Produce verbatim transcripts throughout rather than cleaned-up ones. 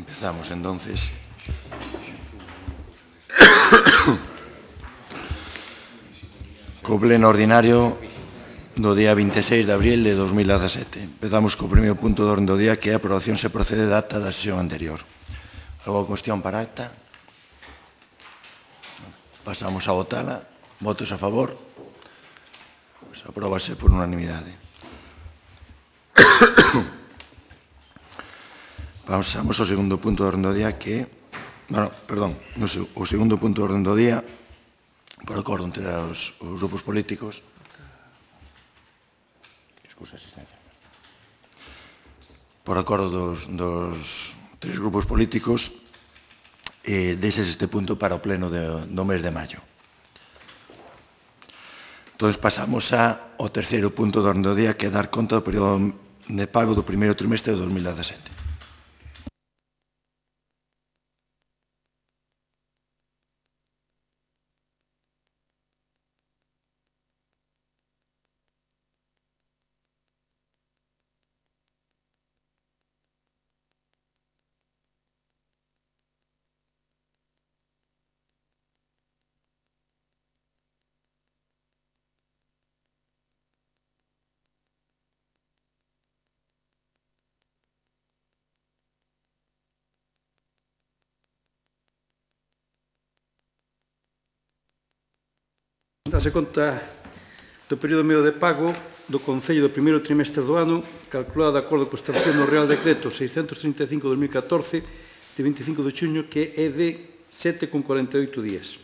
Empezamos, entonces. Co pleno ordinario do día vinte e seis de abril de dos mil dezasete. Empezamos co primeiro punto do orden do día, que é a aprobación se procede da acta da sesión anterior. Algo cuestión para a acta? Pasamos a votala. Votos a favor? Pues apróbase por unanimidade. Pasamos ao segundo punto do orden do día, que, bueno, perdón, no, o segundo punto do orden do día, por acordo entre os, os grupos políticos, excusa asistencia, por acordo dos, dos tres grupos políticos, eh, deixes este punto para o pleno de, do mes de maio. Entón, pasamos ao terceiro punto do orden do día, que é dar conta do período de pago do primeiro trimestre de dos mil dezasete. Dase conta do período medio de pago do Concello do primeiro trimestre do ano, calculado de acordo co establecido no Real Decreto seiscentos trinta e cinco barra dos mil catorce, de vinte e cinco de xuño, que é de sete con cuarenta e oito días.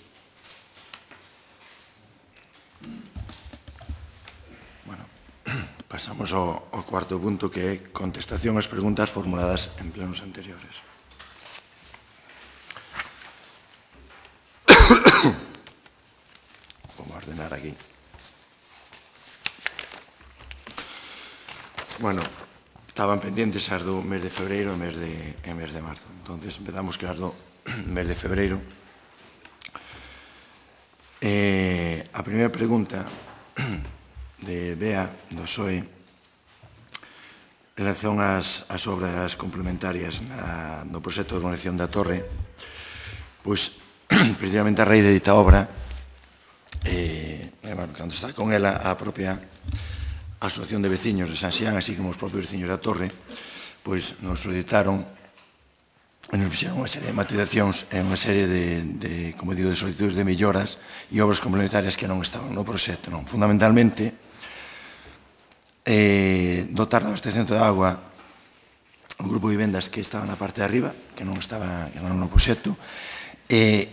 Bueno, pasamos ao, ao cuarto punto, que é contestación ás preguntas formuladas en plenos anteriores. Vamos a ordenar aquí. Bueno, estaban pendientes as do mes de febreiro e mes de, e mes de marzo. Entonces empezamos que as do mes de febreiro. Eh, a primeira pregunta de Bea, do P S O E, en relación ás, ás obras complementarias na, no proxecto de urbanización da Torre, pois, precisamente a raíz de dita obra, eh, bueno, cando está con ela a propia Asociación de Veciños de San Xián, así como os propios veciños da Torre, pois nos solicitaron e nos fixeron unha serie de materializacións e unha serie de, de, como digo, de solicitudes de melloras e obras complementarias que non estaban no proxecto, non? Fundamentalmente, eh, dotar da abastección de agua un grupo de vivendas que estaba na parte de arriba, que non estaba que non no proxecto, e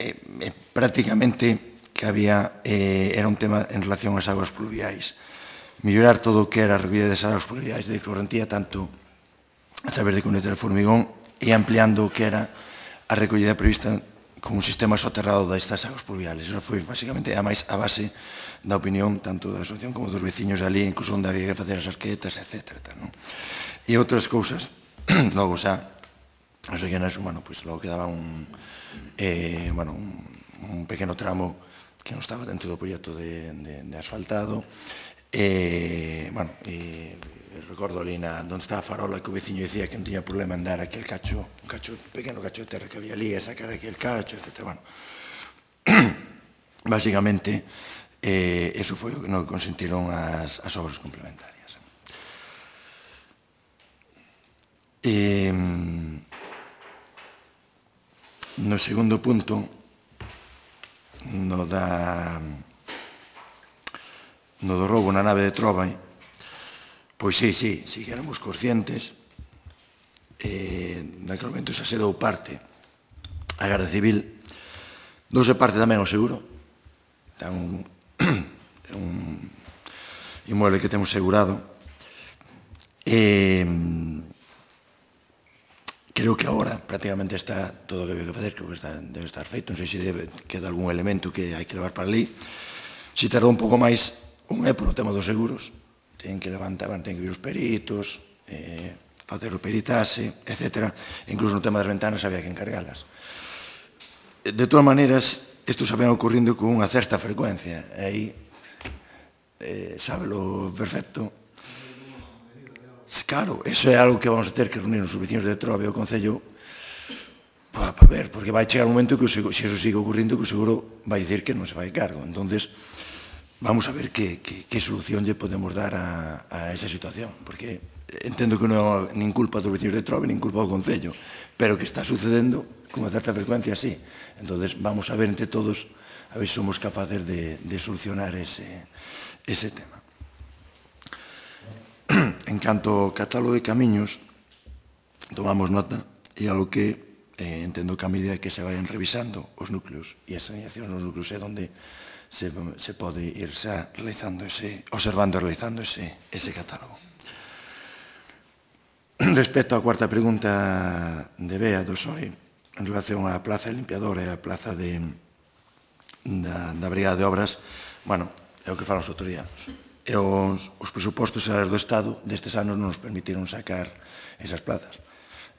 eh, eh, prácticamente que había, eh, era un tema en relación ás aguas pluviais. Mellorar todo o que era a recollida das aguas pluviais de Correntía, tanto a través de cunetas de formigón e ampliando o que era a recollida prevista con un sistema soterrado destas aguas pluviales. Eso foi, basicamente, a máis a base da opinión tanto da asociación como dos veciños ali, incluso onde había que facer as arquetas, etcétera. Non? E outras cousas, logo xa, as rellenas, bueno, pois logo quedaba un, eh, bueno, un, un pequeno tramo que non estaba dentro do proxecto de, de, de asfaltado. E, bueno, e recordo ali na, onde estaba a farola, que o veciño dicía que non tiña problema en dar aquel cacho, un cacho, pequeno cacho de terra que había ali, e sacar aquel cacho, etcétera. Bueno, basicamente, eh, eso foi o que non consentiron as, as obras complementarias. E, no segundo punto, no da no do roubo na nave de Trova, pois sí, sí, sí que éramos conscientes. Eh, naquele momento xa se dou parte a Garda Civil, douse parte tamén o seguro. É un, un inmueble que temos segurado. Eh, creo que agora prácticamente está todo o que debe facer, creo que está, debe estar feito. Non sei se debe, queda algún elemento que hai que levar para ali. Se tardou un pouco máis, un é polo tema dos seguros, ten que levantar, ten que vir os peritos, eh, facer o peritaxe, etcétera. Incluso no tema das ventanas había que encargalas. De todas maneiras, isto xa ven ocorrindo con unha certa frecuencia, e aí, eh, sábelo perfecto. claro, eso é algo que vamos a ter que reunir os vecinos de Trove e o Concello para ver, porque vai chegar un momento que se eso sigue ocurrindo, que o seguro vai dicir que non se vai cargo. Entonces, vamos a ver que, que, que solución lle podemos dar a, a esa situación, porque entendo que non é nin culpa dos vecinos de Trove, nin culpa do Concello, pero que está sucedendo con unha certa frecuencia, sí. Entonces, vamos a ver entre todos, a ver se somos capaces de, de solucionar ese, ese tema. En canto ao catálogo de camiños, tomamos nota, e a lo que eh, entendo que a medida que se vayan revisando os núcleos e a saneación nos núcleos é onde se, se pode ir xa realizando ese, observando e realizando ese, ese catálogo. Respecto á cuarta pregunta de Bea do S O E, en relación á plaza de limpiador e á plaza de, da, da Brigada de Obras, bueno, é o que falamos outro día. E os, os presupostos xerais do Estado destes anos non nos permitiron sacar esas plazas.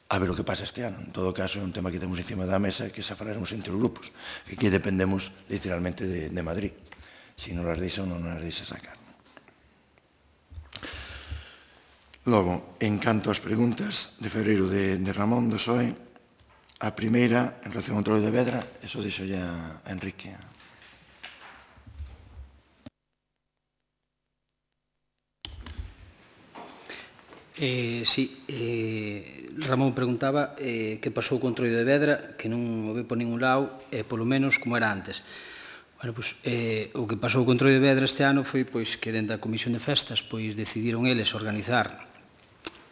A ver o que pasa este ano. En todo caso, é un tema que temos encima da mesa que xa falaremos entre os grupos, que aquí dependemos literalmente de, de Madrid. Si non las deixa ou non las deixa sacar. Logo, en canto ás preguntas de febreiro de, de Ramón do S O E, a primeira, en relación ao Entroido de Vedra, eso deixo ya a Enrique. Eh, sí, eh, Ramón preguntaba eh, que pasou co Entroido de Vedra, que non o ve por ningún lado, eh, polo menos como era antes. Bueno, pois, eh, o que pasou co Entroido de Vedra este ano foi pois, que dentro da Comisión de Festas pois, decidiron eles organizar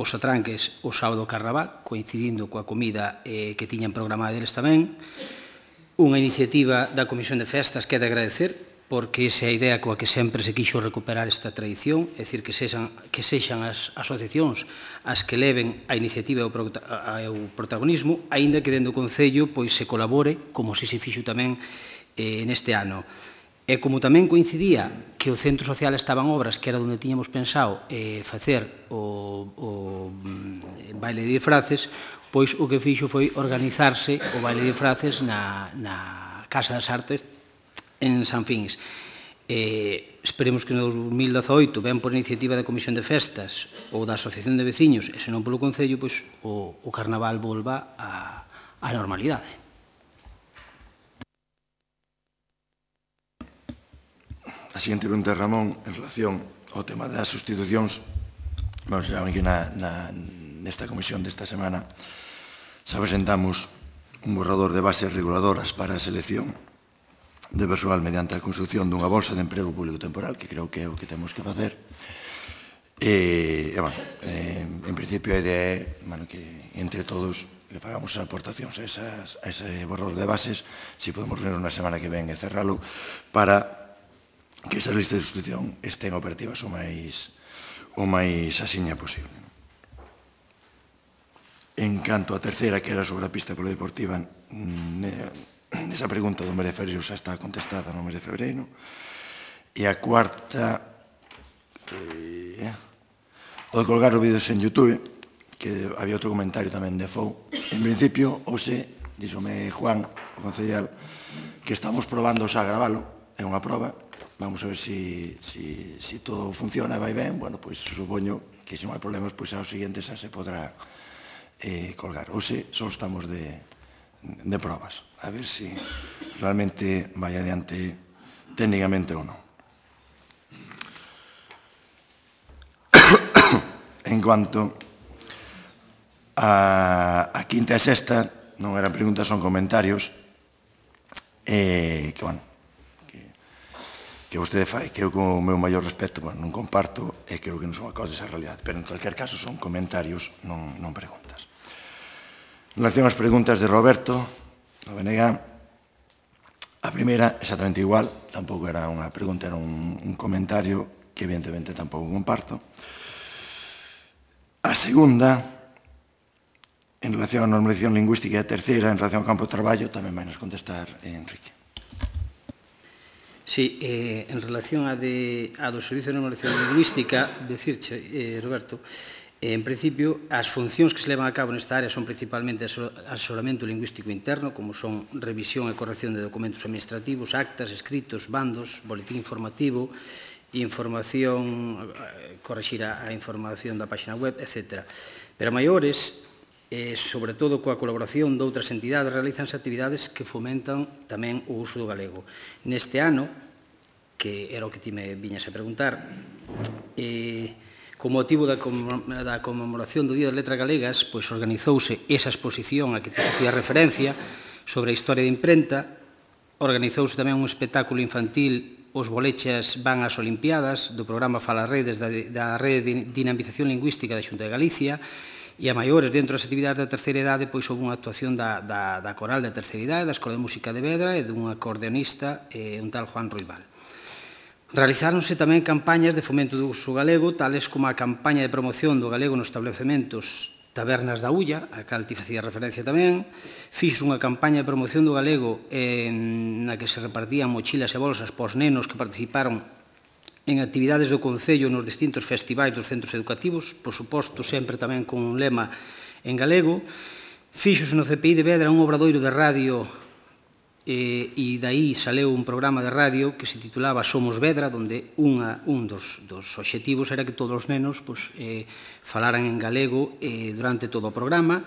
os atranques o sábado carnaval, coincidindo coa comida eh, que tiñan programada eles tamén. Unha iniciativa da Comisión de Festas que é de agradecer, porque esa é a idea coa que sempre se quixo recuperar esta tradición, é dicir, que sexan, que sexan as asociacións as que leven a iniciativa e o protagonismo, aínda que dentro do Concello pois, se colabore, como se se fixo tamén eh, neste ano. E como tamén coincidía que o Centro Social estaba en obras, que era onde tiñamos pensado eh, facer o, o baile de disfraces, pois o que fixo foi organizarse o baile de disfraces na, na Casa das Artes en San Fins. Eh, esperemos que no dos mil dezaoito, ben por iniciativa da Comisión de Festas ou da Asociación de Veciños, e senón polo Concello, pois, o, o Carnaval volva á normalidade. A seguinte pregunta de Ramón, en relación ao tema das sustitucións, bueno, saben que na, na, nesta comisión desta semana se presentamos un borrador de bases reguladoras para a selección de persoal mediante a construción dunha bolsa de emprego público temporal, que creo que é o que temos que facer. E, e bueno, eh, en principio a idea é bueno, que entre todos que fagamos as aportacións a, esas, a ese borrador de bases, si podemos reunir unha semana que ven e cerralo, para que esas listas de sustitución estén operativas o máis, o máis asiña posible. En canto a terceira, que era sobre a pista polideportiva, esa pregunta do mes de febreiro xa está contestada no mes de febreiro. E a cuarta, eh, o de colgar os vídeos en YouTube, que había outro comentario tamén de Fou. En principio, hoxe, díxome Juan, o concellal, que estamos probando xa a gravalo, é unha proba, vamos a ver si, si, si todo funciona e vai ben, bueno, pois supoño que se non hai problemas, pois ao seguinte xa se podrá eh, colgar. Hoxe só estamos de, de probas, a ver si realmente vai adiante técnicamente ou non. En cuanto a, a quinta e sexta, non eran preguntas, son comentarios, eh, que, bueno, que, que vostede fai, que eu con o meu maior respeto, bueno, non comparto, e creo que non son acordes á realidade, pero en cualquier caso son comentarios, non, non preguntas. En relación ás preguntas de Roberto, do B N G, a primeira, exactamente igual, tampouco era unha pregunta, era un, un comentario que evidentemente tampouco comparto. A segunda, en relación á normalización lingüística, e a terceira, en relación ao campo de traballo, tamén vai nos contestar Enrique. Sí, eh, en relación a, de, a do Servicio de Normalización Lingüística, decirche, eh, Roberto, eh, en principio, as funcións que se levan a cabo nesta área son principalmente asesoramento lingüístico interno, como son revisión e corrección de documentos administrativos, actas, escritos, bandos, boletín informativo, información, corrixir a información da página web, etcétera. Pero a maiores, e, sobre todo coa colaboración de outras entidades, realizanse actividades que fomentan tamén o uso do galego. Neste ano, que era o que ti me viñas a preguntar, e, con motivo da conmemoración do Día das Letras Galegas, pois organizouse esa exposición a que te facía referencia sobre a historia da imprenta, organizouse tamén un espectáculo infantil, Os bolechas van ás Olimpiadas, do programa Fala Redes, da Rede de Dinamización Lingüística da Xunta de Galicia, e a maiores, dentro das actividades da terceira idade, pois houve unha actuación da, da, da coral da terceira idade, da Escola de Música de Vedra e dun acordeonista, eh, un tal Juan Ruibal. Realizáronse tamén campañas de fomento do uso galego, tales como a campaña de promoción do galego nos establecementos Tabernas da Ulla, a cal ti facía referencia tamén. Fixo unha campaña de promoción do galego na que se repartían mochilas e bolsas pos nenos que participaron en actividades do Concello nos distintos festivais dos centros educativos, por suposto, sempre tamén con un lema en galego. Fixose no C P I de Vedra un obradoiro de radio e, e daí saleu un programa de radio que se titulaba Somos Vedra, onde unha, un dos, dos obxectivos era que todos os nenos pues, eh, falaran en galego eh, durante todo o programa,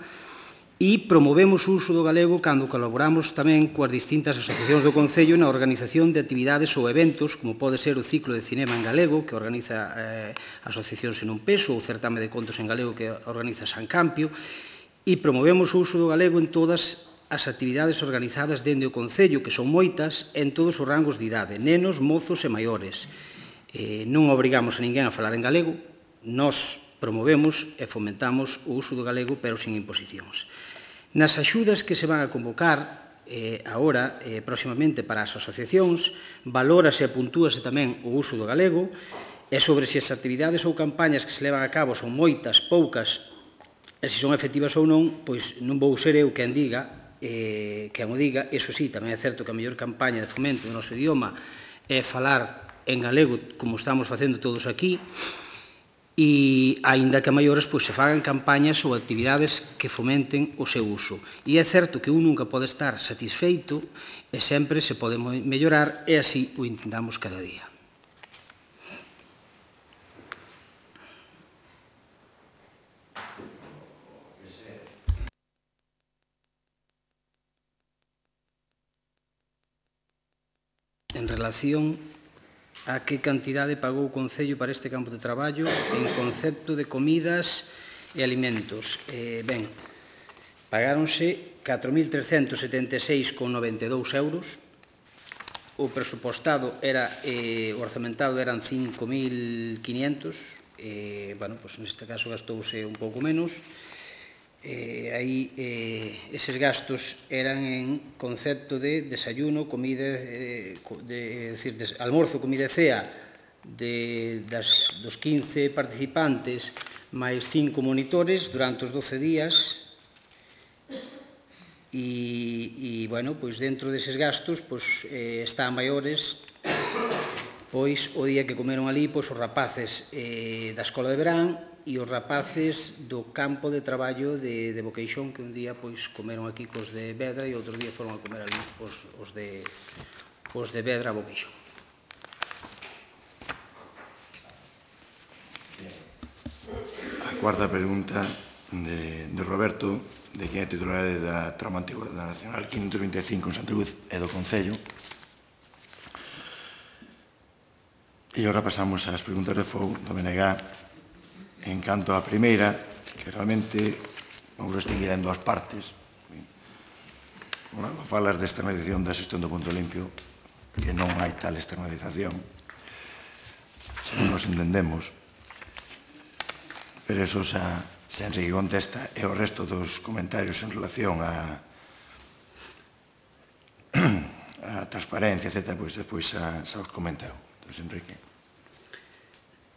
e promovemos o uso do galego cando colaboramos tamén coas distintas asociacións do Concello na organización de actividades ou eventos, como pode ser o ciclo de cinema en galego, que organiza eh, Asociacións en un Peso, ou o certame de contos en galego que organiza San Campio, e promovemos o uso do galego en todas as actividades organizadas dende o Concello, que son moitas, en todos os rangos de idade, nenos, mozos e maiores. Eh, non obrigamos a ninguén a falar en galego, nós promovemos e fomentamos o uso do galego, pero sin imposicións. Nas axudas que se van a convocar eh, agora, eh, próximamente, para as asociacións, valórase e puntúase tamén o uso do galego, e sobre se as actividades ou campañas que se levan a cabo son moitas, poucas, e se son efectivas ou non, pois non vou ser eu quen diga, eh, quen o diga. Eso sí, tamén é certo que a mellor campaña de fomento do noso idioma é falar en galego, como estamos facendo todos aquí, e, aínda que a maiores, pois, se fagan campañas ou actividades que fomenten o seu uso. E é certo que un nunca pode estar satisfeito e sempre se pode mellorar, e así o intentamos cada día. En relación a que cantidade pagou o Concello para este campo de traballo en concepto de comidas e alimentos. Eh, ben, pagáronse catro mil trescentos setenta e seis con noventa e dous euros. O presupostado era, eh, o orzamentado eran cinco mil quinientos. Eh, bueno, pues neste caso gastouse un pouco menos. Eh, aí eh, eses gastos eran en concepto de desayuno, comida, eh, de, decir, de, almorzo, comida e cea de, das, dos quince participantes máis cinco monitores durante os doce días, e, e bueno, pois dentro deses gastos pois, eh, está a maiores, pois o día que comeron ali pois, os rapaces eh, da Escola de Verán e os rapaces do campo de traballo de, de Boqueixón, que un día pois, comeron aquí cos de Vedra e outro día foron a comer ali os, os, de, os de Vedra a Boqueixón. A cuarta pregunta de, de Roberto, de quen é titular da Trama Antigua da Nacional quinhentos vinte e cinco en Santa Cruz e do Concello. E agora pasamos ás preguntas de fogo do B N G. En canto á primeira, que realmente vamos a distinguir en dúas partes. Cando falas de externalización da xestión do punto limpio, que non hai tal externalización, non nos entendemos, pero eso xa, xa Enrique contesta, e o resto dos comentarios en relación a a transparencia, etcétera, pois despois xa, xa os comenteu. Entón, Enrique.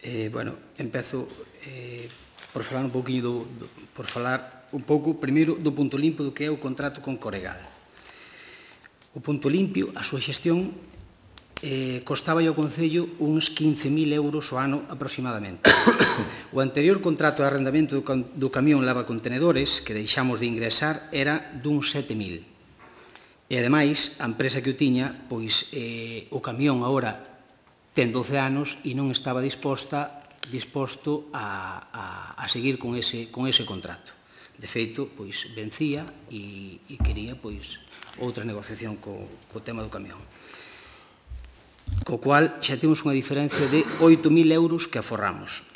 Eh, bueno, empezo eh, por falar un pouquinho do, do, por falar un pouco primeiro do punto limpio do que é o contrato con Coregal. O punto limpio, a súa xestión eh, costaba ao Concello uns quince mil euros ao ano aproximadamente. O anterior contrato de arrendamento do, do camión lavacontenedores que deixamos de ingresar era dun sete mil. E ademais, a empresa que o tiña, pois eh, o camión agora ten doce anos e non estaba disposta, disposto a, a, a seguir con ese, con ese contrato. De feito, pois, vencía e, e quería, pois, outra negociación co, co tema do camión. Co cual, xa temos unha diferencia de oito mil euros que aforramos.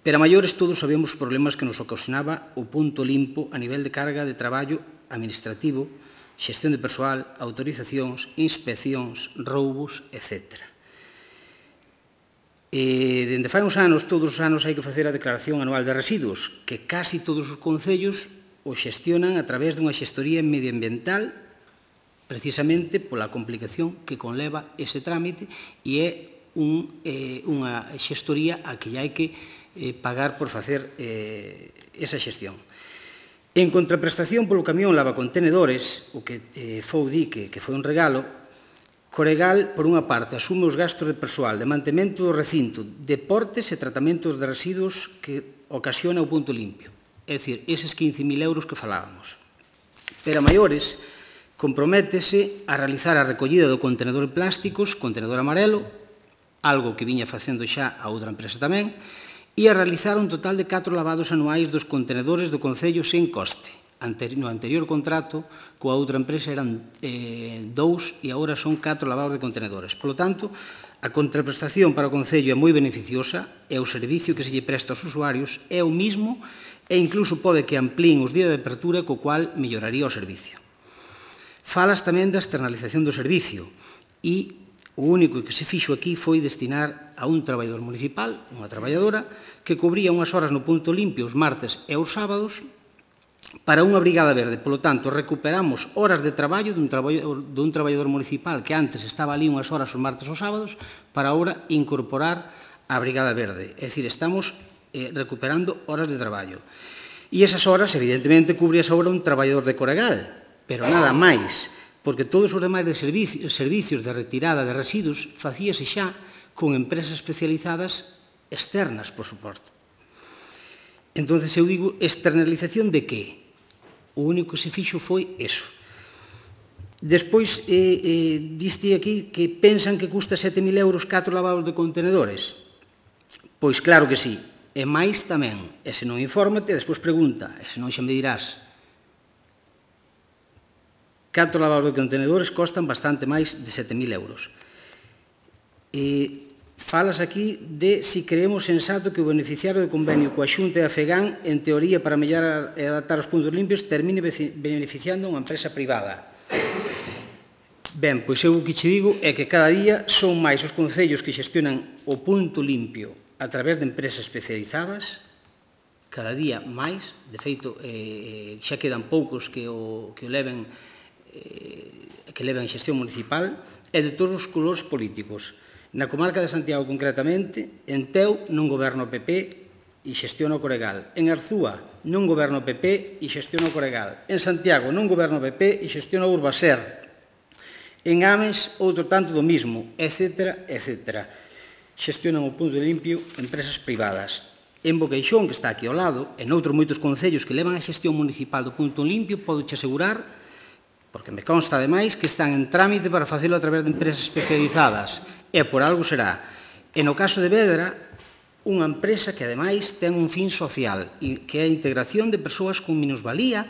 Pero a maiores todos sabemos os problemas que nos ocasionaba o punto limpo a nivel de carga de traballo administrativo, xestión de persoal, autorizacións, inspeccións, roubos, etcétera. E, dende fai uns anos, todos os anos hai que facer a declaración anual de residuos, que casi todos os concellos o xestionan a través dunha xestoría medioambiental, precisamente pola complicación que conleva ese trámite e é un, eh, unha xestoría a que hai que eh, pagar por facer eh, esa xestión. En contraprestación polo camión lavacontenedores, o que eh, Fou di que, que foi un regalo, Coregal, por unha parte, asume os gastos de persoal, de mantemento do recinto, deportes e tratamentos de residuos que ocasiona o punto limpio. É dicir, eses quince mil euros que falábamos. Pero a maiores, comprométese a realizar a recollida do contenedor de plásticos, contenedor amarelo, algo que viña facendo xa a outra empresa tamén, e a realizar un total de catro lavados anuais dos contenedores do Concello sen coste. No anterior contrato, coa outra empresa eran eh, dous e agora son catro lavados de contenedores. Por lo tanto, a contraprestación para o Concello é moi beneficiosa e o servicio que se lle presta aos usuarios é o mismo e incluso pode que amplíen os días de apertura, co cual melloraría o servicio. Falas tamén da externalización do servicio e o único que se fixo aquí foi destinar a un traballador municipal, unha traballadora, que cubría unhas horas no punto limpio os martes e os sábados para unha brigada verde. Por lo tanto, recuperamos horas de traballo dun, traballo, dun traballador municipal que antes estaba ali unhas horas os martes ou sábados para agora incorporar a brigada verde. É dicir, estamos eh, recuperando horas de traballo. E esas horas, evidentemente, cubrías agora un traballador de Coregal, pero nada máis, porque todos os demais de servicios, servicios de retirada de residuos facíase xa con empresas especializadas externas, por suposto. Entón, eu digo, externalización de que? O único que se fixo foi eso. Despois, eh, eh, diste aquí que pensan que custa sete mil euros catro lavados de contenedores. Pois claro que sí, e máis tamén. E se non infórmate, despois pregunta, e se non xa me dirás. Catro lavados de contenedores costan bastante máis de sete mil euros. E falas aquí de si creemos sensato que o beneficiario do convenio coa Xunta e a FEGAN, en teoría, para mellorar e adaptar os puntos limpios, termine beneficiando unha empresa privada. Ben, pois eu o que che digo é que cada día son máis os concellos que xestionan o punto limpio a través de empresas especializadas, cada día máis, de feito, eh, xa quedan poucos que o, que o leven, eh, que leven xestión municipal, e de todos os colores políticos. Na comarca de Santiago, concretamente, en Teu non goberna o P P e xestiona o Coregal. En Arzúa non goberna o P P e xestiona o Coregal. En Santiago non goberna o P P e xestiona o Urbaser. En Ames, outro tanto do mismo, etcétera, etcétera. Xestionan o punto limpio empresas privadas. En Boqueixón, que está aquí ao lado, e noutros moitos concellos que levan a xestión municipal do punto limpio, podo te asegurar, porque me consta ademais, que están en trámite para facelo a través de empresas especializadas. E por algo será. E no caso de Vedra, unha empresa que ademais ten un fin social, que é a integración de persoas con minusvalía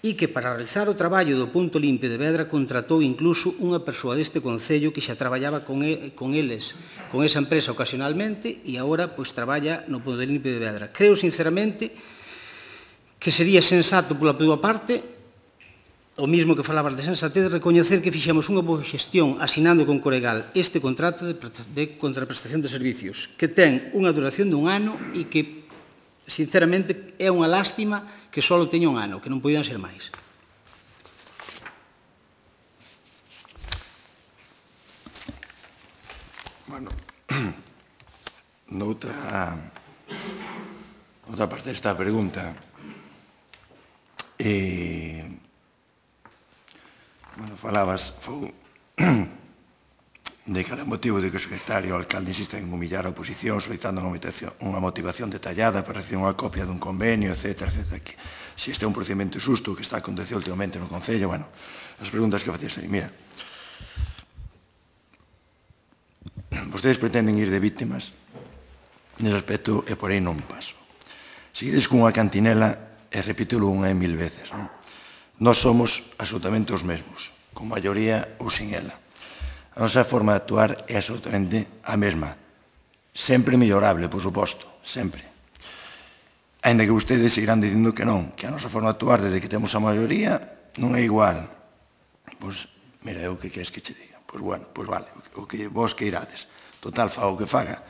e que para realizar o traballo do punto limpio de Vedra contratou incluso unha persoa deste concello que xa traballaba con, el, con eles, con esa empresa ocasionalmente e agora pois traballa no punto limpio de Vedra. Creo sinceramente que sería sensato pola túa parte, o mismo que falabas de sensatez, recoñecer que fixemos unha boa xestión asinando con Coregal este contrato de, de contraprestación de servicios, que ten unha duración dun ano e que, sinceramente, é unha lástima que só teña un ano, que non podían ser máis. Bueno, noutra, outra parte desta pregunta, eh, bueno, falabas, Fou, de que era motivo de que o secretario o alcalde insiste en humillar a oposición solicitando unha motivación, unha motivación detallada para recibir unha copia dun convenio, etcétera, etcétera. Que, se este é un procedimento xusto que está acontecendo últimamente no Concello, bueno, as preguntas que facías aí, mira. vostedes pretenden ir de víctimas, nese aspecto, e por aí non paso. Seguides cunha cantinela, e repítelo unha e mil veces, non? Nós somos absolutamente os mesmos, con maioría ou sin ela. A nosa forma de actuar é absolutamente a mesma. Sempre mellorable, por suposto, sempre. Ainda que vostedes seguirán dicindo que non, que a nosa forma de actuar desde que temos a maioría non é igual. Pois, mira, eu que queres que che diga? Pois bueno, pois vale, o que vos que irades. Total, faga o que faga,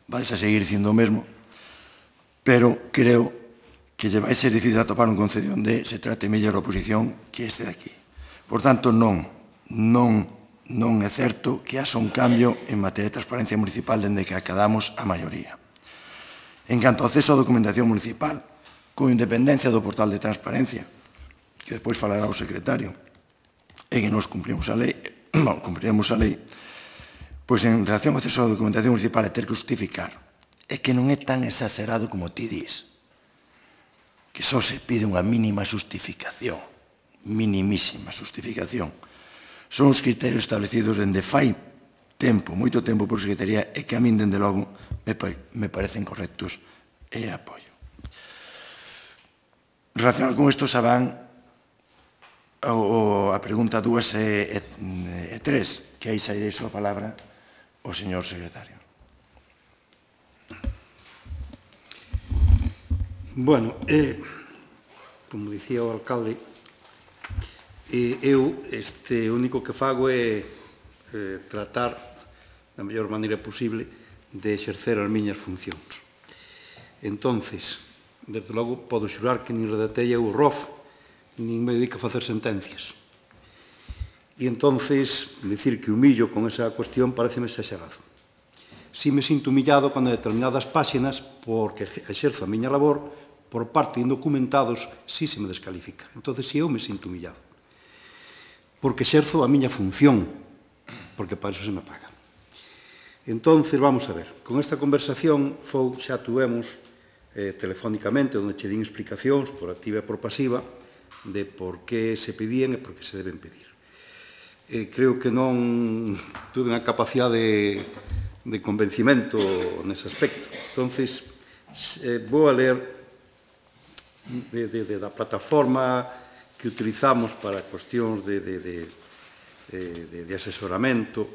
vais a seguir dicindo o mesmo, pero creo que lle vai ser difícil atopar un concello onde se trate mellor a oposición que este de aquí. Por tanto, non, non, non é certo que haxa un cambio en materia de transparencia municipal dende que acadamos a maioría. En canto ao acceso á documentación municipal, con independencia do portal de transparencia, que despois falará o secretario, e que nos cumprimos a lei, non, cumpriremos a lei, pois en relación ao acceso á documentación municipal e ter que justificar, é que non é tan exagerado como ti dis, que só se pide unha mínima justificación, minimísima justificación. Son os criterios establecidos dende fai tempo, moito tempo por Secretaría, e que a min, dende logo, me parecen correctos e apoio. Relacionado con isto, xa van a pregunta dúas e tres, que aí xa irei a palabra ao señor secretario. Bueno, eh, como dicía o alcalde, eh, eu este, o único que fago é eh, tratar da mellor maneira posible de exercer as miñas funcións. Entonces, desde logo, podo xurar que nin redactei eu o R O F, nin me dedico a facer sentencias. E entonces, dicir que humillo con esa cuestión pareceme exagerado. Si me sinto humillado cando determinadas páxinas, porque exerzo a miña labor, por parte de indocumentados, si se me descalifica. Entonces, si eu me sinto humillado. Porque exerzo a miña función, porque para eso se me paga. Entonces, vamos a ver, con esta conversación fou, xa tuvemos eh, telefónicamente, onde che din explicacións por activa e por pasiva, de por que se pedían e por que se deben pedir. Eh, creo que non tuve unha capacidade de, de convencimento nese aspecto. Entonces, eh, vou a ler de, de, de, da plataforma que utilizamos para cuestións de, de, de, de, de asesoramento.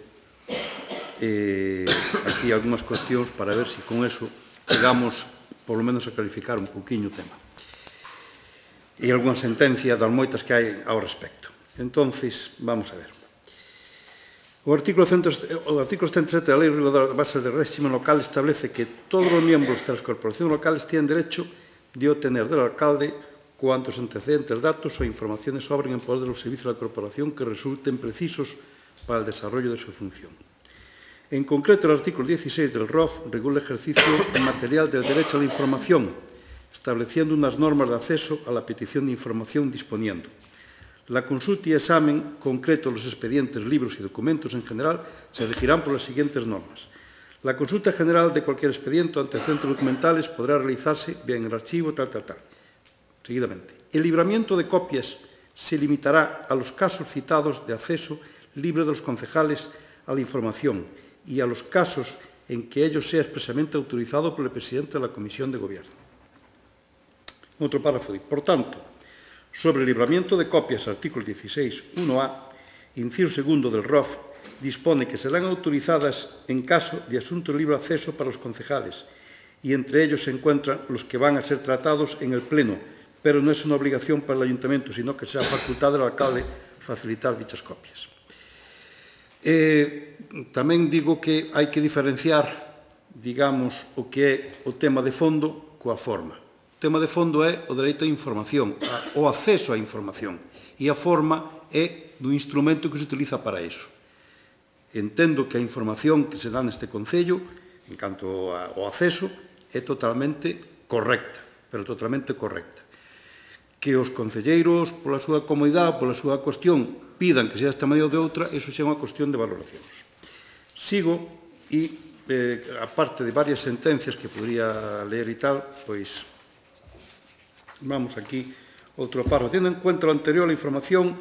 Eh, aquí algunhas cuestións para ver se si con eso chegamos, por lo menos, a clarificar un pouquiño o tema. E algunha sentencia das moitas que hai ao respecto. Entonces, vamos a ver. O artículo ciento setenta e sete da Lei Reguladora de Bases de Réxime Local establece que todos os miembros das corporacións locales tienen derecho de obtener del alcalde cuantos antecedentes, datos o informaciones sobren en poder de los servicios de la corporación que resulten precisos para el desarrollo de su función. En concreto, el artículo dieciséis del R O F regula el ejercicio material del derecho a la información, estableciendo unas normas de acceso a la petición de información disponiendo. La consulta y examen concreto de los expedientes, libros y documentos en general se regirán por las siguientes normas. La consulta general de cualquier expediente o antecedentes documentales podrá realizarse bien en el archivo, tal, tal, tal. Seguidamente. El libramiento de copias se limitará a los casos citados de acceso libre de los concejales a la información y a los casos en que ello sea expresamente autorizado por el presidente de la Comisión de Gobierno. Otro párrafo. Por tanto, sobre el libramiento de copias, artículo dieciséis, uno A, inciso segundo del R O F, dispone que serán autorizadas en caso de asunto de libre acceso para los concejales y entre ellos se encuentran los que van a ser tratados en el Pleno, pero no es una obligación para el Ayuntamiento, sino que sea facultad del alcalde facilitar dichas copias. Eh, tamén digo que hai que diferenciar, digamos, o que é o tema de fondo coa forma. O tema de fondo é o dereito á información, o acceso á información, e a forma é do instrumento que se utiliza para iso. Entendo que a información que se dá neste Concello, en canto ao acceso, é totalmente correcta, pero totalmente correcta. Que os concelleiros, pola súa comodidade, pola súa cuestión, pidan que sea desta maneira ou de outra, iso xa é unha cuestión de valoracións. Sigo e, eh, aparte de varias sentencias que podría ler e tal, pois, vamos aquí, outro párrafo. Tendo en cuenta o anterior, a información,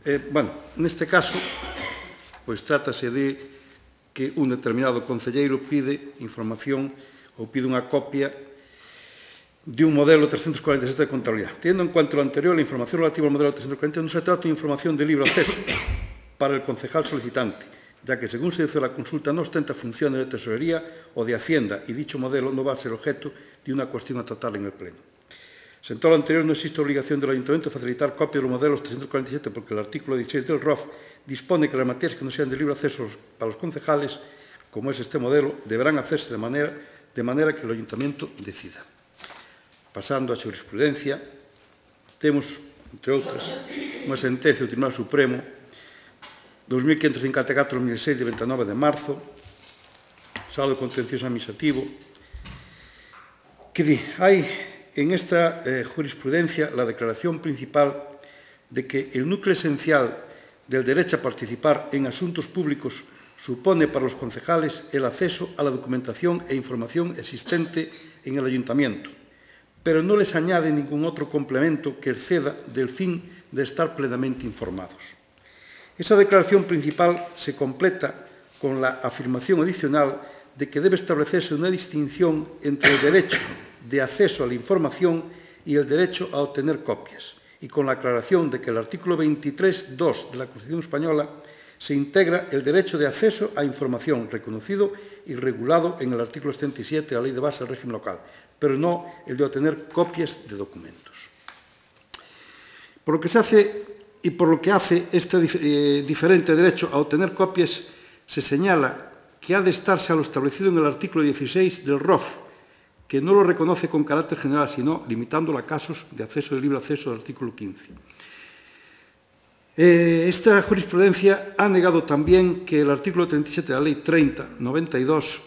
eh, bueno, neste caso, pois trátase de que un determinado concelleiro pide información ou pide unha copia de un modelo trescentos cuarenta y siete de contabilidade. Teniendo en cuenta lo anterior, la información relativa al modelo trescentos cuarenta y siete no se trata de información de libre acceso para el concejal solicitante, ya que, según se dice la consulta, no ostenta funciones de tesorería o de Hacienda y dicho modelo no va a ser objeto de una cuestión a tratar en el Pleno. Sentado lo anterior, no existe obligación del Ayuntamiento de facilitar copia de los modelos trescientos cuarenta y siete porque el artículo dieciséis del R O F dispone que las materias que no sean de libre acceso para los concejales, como es este modelo, deberán hacerse de manera, de manera que el Ayuntamiento decida. Pasando a jurisprudencia, temos, entre outras, unha sentencia do Tribunal Supremo dos mil quinhentos cincuenta e catro barra dos mil seis de veintinueve de marzo, saldo contencioso administrativo, que di, hai en esta eh, jurisprudencia la declaración principal de que el núcleo esencial del derecho a participar en asuntos públicos supone para los concejales el acceso a la documentación e información existente en el ayuntamiento, pero no les añade ningún otro complemento que exceda del fin de estar plenamente informados. Esa declaración principal se completa con la afirmación adicional de que debe establecerse una distinción entre el derecho de acceso a la información y el derecho a obtener copias, y con la aclaración de que el artículo veintitrés punto dos de la Constitución española se integra el derecho de acceso a información reconocido y regulado en el artículo setenta y siete de la Ley de Base del Régimen Local, pero no el de obtener copias de documentos. Por lo que se hace y por lo que hace este eh, diferente derecho a obtener copias, se señala que ha de estarse a lo establecido en el artículo dieciséis del R O F, que no lo reconoce con carácter general, sino limitándolo a casos de acceso de libre acceso del artículo quince. Eh, esta jurisprudencia ha negado también que el artículo treinta y siete de la Ley treinta barra noventa y dos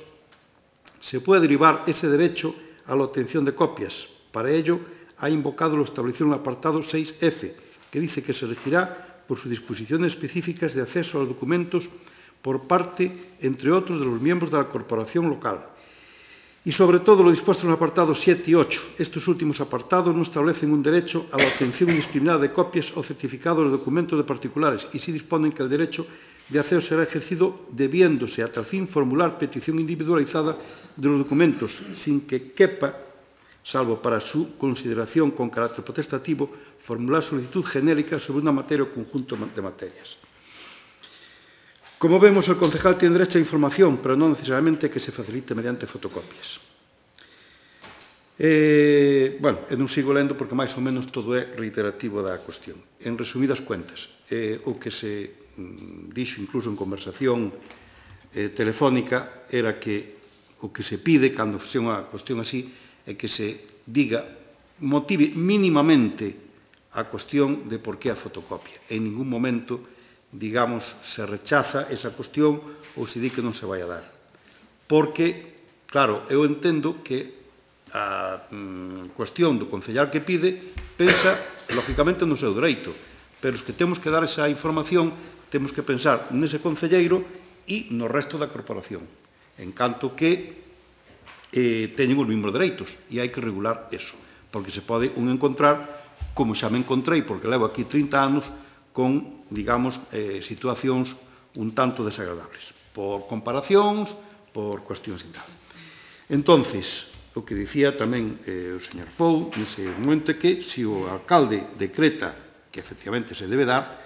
se puede derivar ese derecho a la obtención de copias. Para ello, ha invocado lo establecido en el apartado seis F, que dice que se regirá por sus disposiciones específicas de acceso a los documentos por parte, entre otros, de los miembros de la corporación local. Y, sobre todo, lo dispuesto en los apartados siete y ocho. Estos últimos apartados no establecen un derecho a la obtención indiscriminada de copias o certificados de documentos de particulares y sí disponen que el derecho de acceso será ejercido debiéndose a tal fin formular petición individualizada de los documentos sin que quepa, salvo para su consideración con carácter potestativo, formular solicitud genérica sobre una materia o conjunto de materias. Como vemos, el concejal tiene derecho a información, pero no necesariamente que se facilite mediante fotocopias. Eh, bueno, e non sigo lendo porque máis ou menos todo é reiterativo da cuestión. En resumidas cuentas, eh, o que se mm, dixo incluso en conversación eh, telefónica era que o que se pide cando se unha cuestión así é que se diga, motive mínimamente a cuestión de por que a fotocopia. En ningún momento, digamos, se rechaza esa cuestión ou se di que non se vai a dar. Porque, claro, eu entendo que a mm, cuestión do concellar que pide pensa, lógicamente, no seu dereito, pero os que temos que dar esa información temos que pensar nese concelleiro e no resto da corporación, en canto que eh, teñen os mesmos dereitos, e hai que regular eso, porque se pode un encontrar, como xa me encontrei, porque levo aquí trinta anos, con, digamos, eh, situacións un tanto desagradables, por comparacións, por cuestións e tal. Entonces, o que dicía tamén eh, o señor Fou, nese momento, que se o alcalde decreta que efectivamente se debe dar,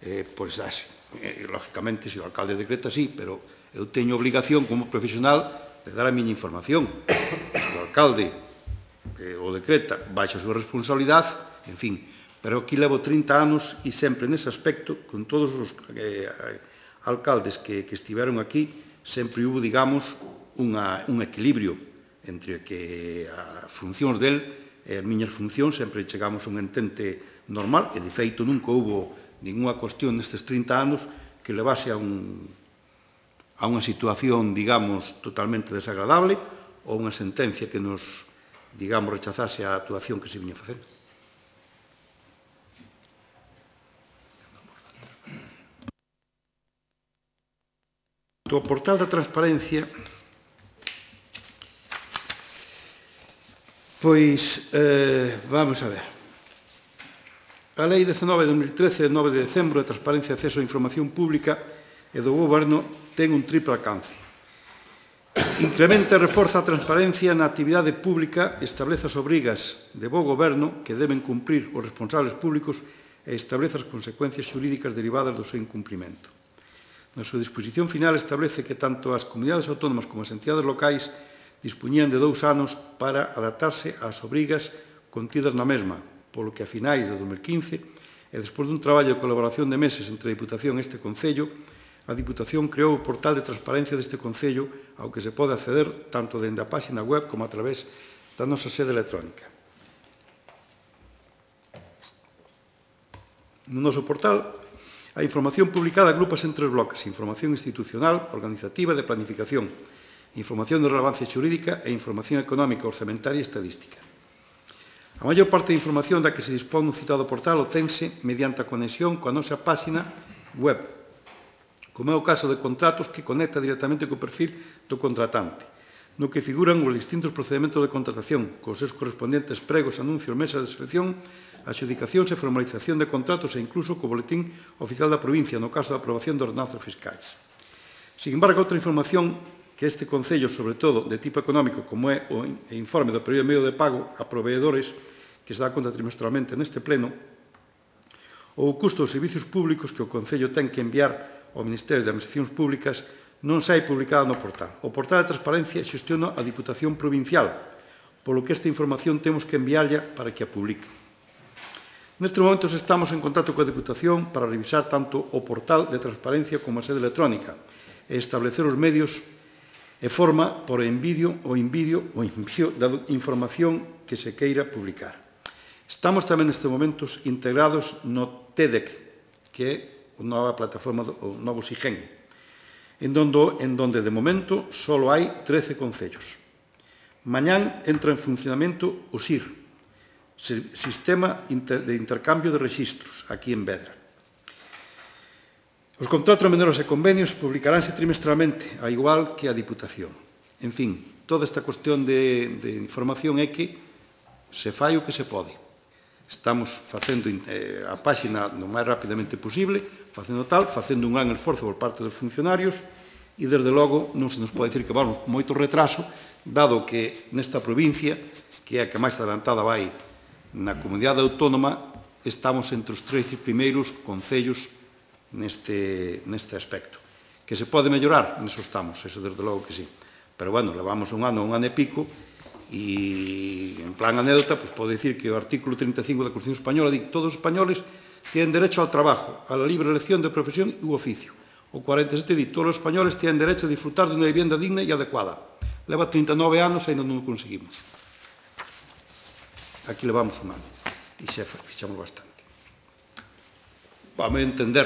eh, pois dase. Eh, lógicamente, se o alcalde decreta, sí, pero eu teño obligación como profesional de dar a miña información. Se o alcalde eh, o decreta baixa a súa responsabilidade, en fin. Pero aquí levo trinta anos e sempre nese aspecto, con todos os eh, alcaldes que, que estiveron aquí, sempre hubo, digamos, unha, un equilibrio entre que as funcións del e as miñas funcións, sempre chegamos a un entente normal, e de feito nunca hubo ninguna cuestión nestes trinta anos que levase a, un, a unha situación, digamos, totalmente desagradable ou unha sentencia que nos, digamos, rechazase a actuación que se viña a facer. O portal da transparencia, pois, eh, vamos a ver. A Lei dezanove de dos mil trece, de nove de decembro, de transparencia e acceso á información pública, e do Goberno ten un triple alcance. Incrementa e reforza a transparencia na actividade pública, establece as obrigas de bo goberno que deben cumprir os responsables públicos e establece as consecuencias xurídicas derivadas do seu incumprimento. Na súa disposición final establece que tanto as comunidades autónomas como as entidades locais dispuñían de dous anos para adaptarse ás obrigas contidas na mesma, polo que a finais de dos mil quince, e despois dun traballo de colaboración de meses entre a Diputación e este Concello, a Diputación creou o portal de transparencia deste Concello ao que se pode acceder tanto dende a páxina web como a través da nosa sede electrónica. No noso portal, a información publicada agrupas en tres bloques: información institucional, organizativa e de planificación, información de relevancia xurídica e información económica, orzamentaria e estadística. A maior parte da información da que se dispón no citado portal obtense mediante a conexión coa nosa páxina web, como é o caso de contratos que conecta directamente co perfil do contratante, no que figuran os distintos procedementos de contratación, cos seus correspondentes pregos, anuncios, mesas de selección, adxudicacións e formalización de contratos e incluso co boletín oficial da provincia, no caso da aprobación de ordenanzas fiscais. Sin embargo, outra información que este Concello, sobre todo de tipo económico, como é o informe do período medio de pago a proveedores, que se dá conta trimestralmente neste pleno, ou o custo dos servicios públicos que o Concello ten que enviar ao Ministerio de Administracións Públicas, non sai publicada no portal. O portal de transparencia xestiona a Diputación Provincial, polo que esta información temos que enviarlla para que a publique. Nestes momentos estamos en contacto coa Diputación para revisar tanto o portal de transparencia como a sede electrónica e establecer os medios e forma por envío ou envío ou envío da información que se queira publicar. Estamos tamén nestes momentos integrados no T E D E C, que é a nova plataforma, o novo SIGEN, en donde, en donde de momento só hai trece concellos. Mañán entra en funcionamento o S I R, Sistema de Intercambio de Rexistros, aquí en Vedra. Os contratos menores e convenios publicaránse trimestralmente, a igual que a Diputación. En fin, toda esta cuestión de, de información é que se fai o que se pode. Estamos facendo eh, a páxina o máis rapidamente posible, facendo tal, facendo un gran esforzo por parte dos funcionarios e, desde logo, non se nos pode dicir que vamos con moito retraso, dado que nesta provincia, que é a que máis adelantada vai na comunidade autónoma, estamos entre os trece primeiros concellos neste, neste aspecto. Que se pode mellorar? Neso estamos, eso desde logo que sí. Pero, bueno, levamos un ano, un ano e pico, e, en plan anécdota, pues, pode dicir que o artículo treinta e cinco da Constitución Española di que todos os españoles tienen derecho ao trabajo, a la libre elección de profesión e oficio. O cuarenta e sete di que todos os españoles tienen derecho a disfrutar de unha vivienda digna e adecuada. Leva trinta e nove anos e ainda non o conseguimos. Aquí levamos un ano e xa fixamos bastante. Vamos a entender,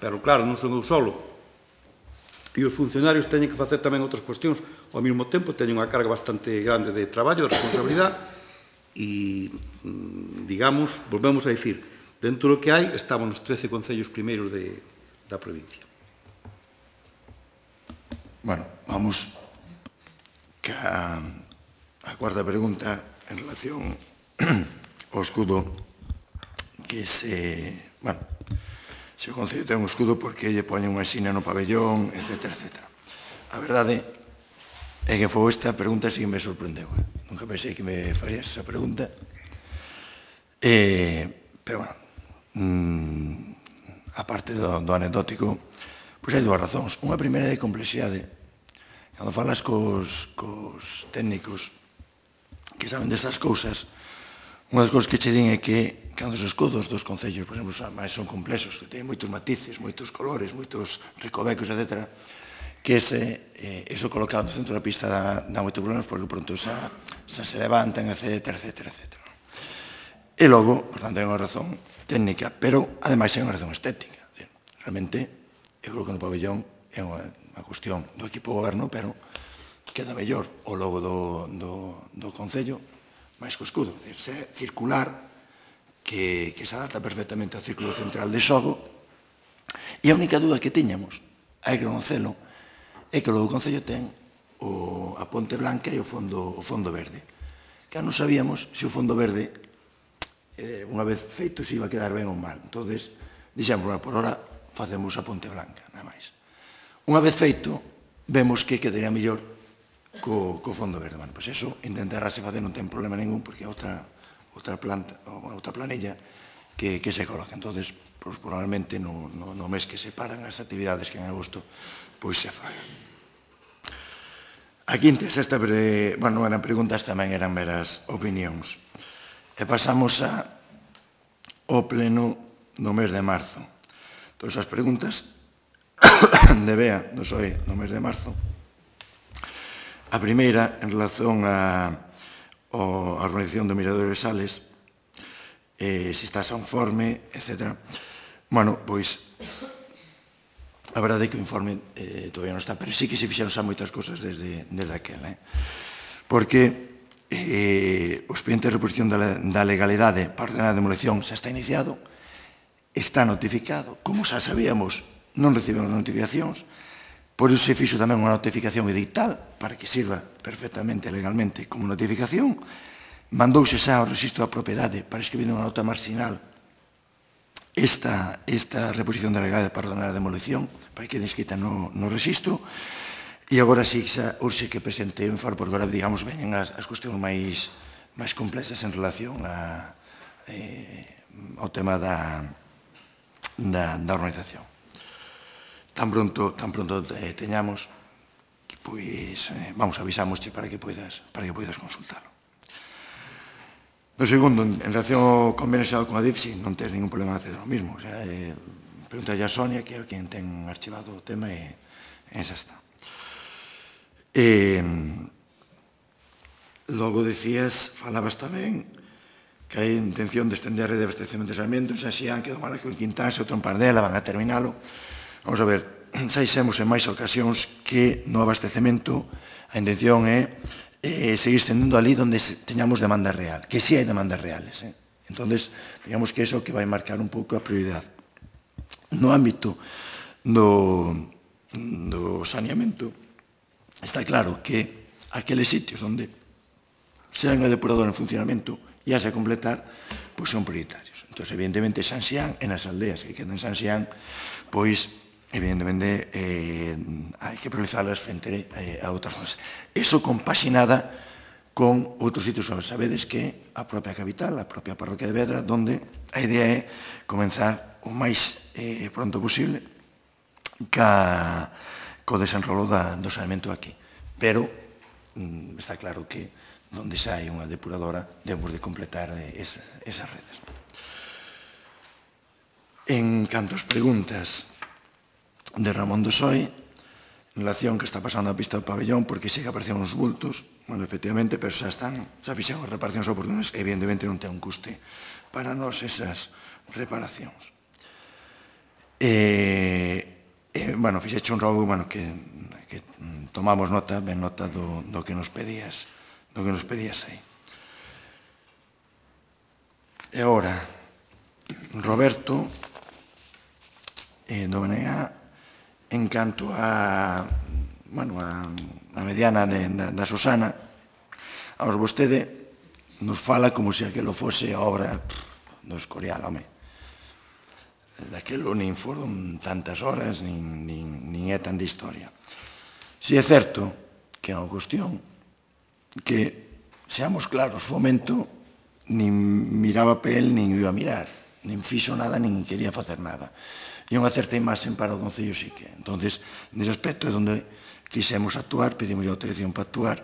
pero claro, non son eu solo. E os funcionarios teñen que facer tamén outras cuestións ao mesmo tempo, teñen unha carga bastante grande de traballo, de responsabilidade, e, digamos, volvemos a dicir, dentro do que hai, estamos nos trece concellos primeiros de, da provincia. Bueno, vamos que a, a cuarta pregunta en relación ao escudo que se... Bueno, se o Concello ten un escudo porque lle poñen unha xina no pabellón, etcétera, etcétera. A verdade é que foi esta pregunta sí que me sorprendeu. Nunca pensei que me farías esa pregunta. Eh, pero, bueno, mmm, a parte do, do anecdótico, pois hai dúas razóns. Unha primeira é complexidade. Cando falas cos, cos técnicos que saben destas cousas, unha das cousas que che din é que cando os escudos dos concellos, por exemplo, son complexos, que teñen moitos matices, moitos colores, moitos ricovecos, etcétera, que ese, eh, eso colocado no centro da pista dá, dá moitos problemas porque pronto xa, xa se levantan, etcétera, etcétera, etcétera. E logo, por tanto, hai unha razón técnica, pero, ademais, hai unha razón estética. Realmente, eu creo que no pabellón é unha, unha cuestión do equipo goberno, pero queda mellor o logo do, do, do concello máis co escudo, é dicir, se circular, que, que se adapta perfectamente ao círculo central de xogo, e a única dúda que tiñamos, hai que conocelo, é que logo o Concello ten o, a Ponte Blanca e o fondo, o fondo verde. Que non sabíamos se o fondo verde, eh, unha vez feito, se iba a quedar ben ou mal. Entón, dixemos, bueno, por hora facemos a Ponte Blanca, nada máis. Unha vez feito, vemos que quedaría mellor co, co fondo verde. Bueno, pois eso intentarase facer, non ten problema ningún, porque é outra, outra, planta, outra planilla que, que se coloca. Entonces, pues, probablemente no, no, no mes que se paran as actividades que en agosto pois se fagan. A quinta e sexta, bueno, eran preguntas, tamén eran meras opinións. E pasamos a, ao pleno no mes de marzo. Todas as preguntas de Bea do P S O E no mes de marzo. A primeira, en relación a, a organización do Mirador de Sales, eh, se está conforme, etcétera. Bueno, pois, a verdade é que o informe eh, todavía non está, pero sí que se fixeron xa moitas cosas desde, desde aquela. Eh? Porque eh, o expediente de reposición da, da legalidade para ordenar a demolición xa está iniciado, está notificado, como xa sabíamos, non recibimos notificacións, por iso se fixo tamén unha notificación edital para que sirva perfectamente legalmente como notificación, mandouse xa ao registro da propiedade para escribir unha nota marginal esta, esta reposición da legalidade para ordenar a demolición, para que quede escrita no, no registro, e agora sí xa urxe que presente o informe, porque agora, digamos, veñen as, as cuestións máis, máis complexas en relación a, eh, ao tema da, da, da organización. Tan pronto, tan pronto eh, teñamos, pois, eh, vamos, avisámosche para que poidas, para que poidas consultarlo. No segundo, en relación ao convenio xeral con a D I F, sí, non tens ningún problema en acceder ao mismo. O sea, eh, pregúntale a Sonia, que é quen ten archivado o tema, e eh, esa está. Eh, logo decías, falabas tamén, que hai intención de estender a rede de abastecemento de Sarmiento en San Xián, que do Maraco en Quintán, se outro en Pardela, van a terminalo. Vamos a ver, xa dixemos en máis ocasións que no abastecemento a intención é eh, seguir estendendo ali onde teñamos demanda real, que si sí hai demandas reales. Eh? Entonces, digamos que eso que vai marcar un pouco a prioridade. No ámbito do, do saneamento, está claro que aqueles sitios onde se hai unha depuradora en funcionamento e a se completar, pois son prioritarios. Entón, evidentemente, San Xián, en as aldeas que quedan en San Xián, pois, evidentemente, eh, hai que priorizarlas frente eh, a outras zonas. Eso compaxinada con outros sitios, sabedes que a propia capital, a propia parroquia de Vedra, donde a idea é comenzar o máis eh, pronto posible ca, co desenrolo da, do saneamento aquí. Pero mm, está claro que onde xa hai unha depuradora debemos de completar eh, esa, esas redes. En canto ás preguntas de Ramón do P S O E, en relación que está pasando a pista do pabellón, porque se que aparecen uns bultos, bueno, efectivamente, pero xa están, xa fixeron as reparacións oportunas, evidentemente non ten un custe para nós esas reparacións. E, e bueno, fixeche un rogo, bueno, que, que tomamos nota, ben nota do, do que nos pedías, do que nos pedías aí. E agora, Roberto, eh, do B N A, en canto a, bueno, a, a mediana de, da, da Susana, aos vostede nos fala como se aquilo fose a obra pff, do Escorial, home. Daquilo nin foron tantas horas, nin, nin, nin é tan de historia. Si é certo que é unha cuestión que, seamos claros, Fomento nin miraba pa el, nin iba a mirar, nin fixo nada, nin quería facer nada. E unha certa imaxen para o Concello sí que. Entonces, nese aspecto é onde quixemos actuar, pedimos a autorización para actuar,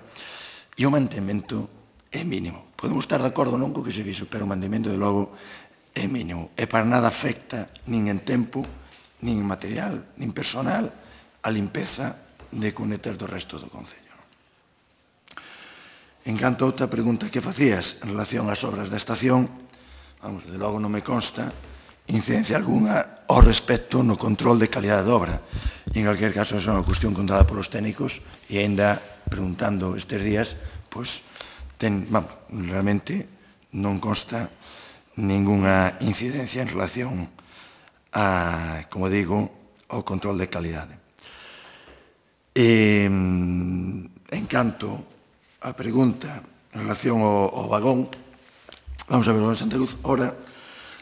e o mantemento é mínimo. Podemos estar de acordo non co que se fixo, pero o mantemento, de logo, é mínimo. E para nada afecta, nin en tempo, nin en material, nin personal, a limpeza de cunetas do resto do Concello. En canto a outra pregunta que facías en relación ás obras da estación, vamos, de logo non me consta incidencia algunha ao respecto no control de calidade de obra. E en calquer caso, é unha cuestión contada polos técnicos e ainda preguntando estes días, pois, ten, vamos, realmente non consta ninguna incidencia en relación a, como digo, ao control de calidade. E, en canto a pregunta en relación ao, ao vagón, vamos a ver, don Santa Luz, ora,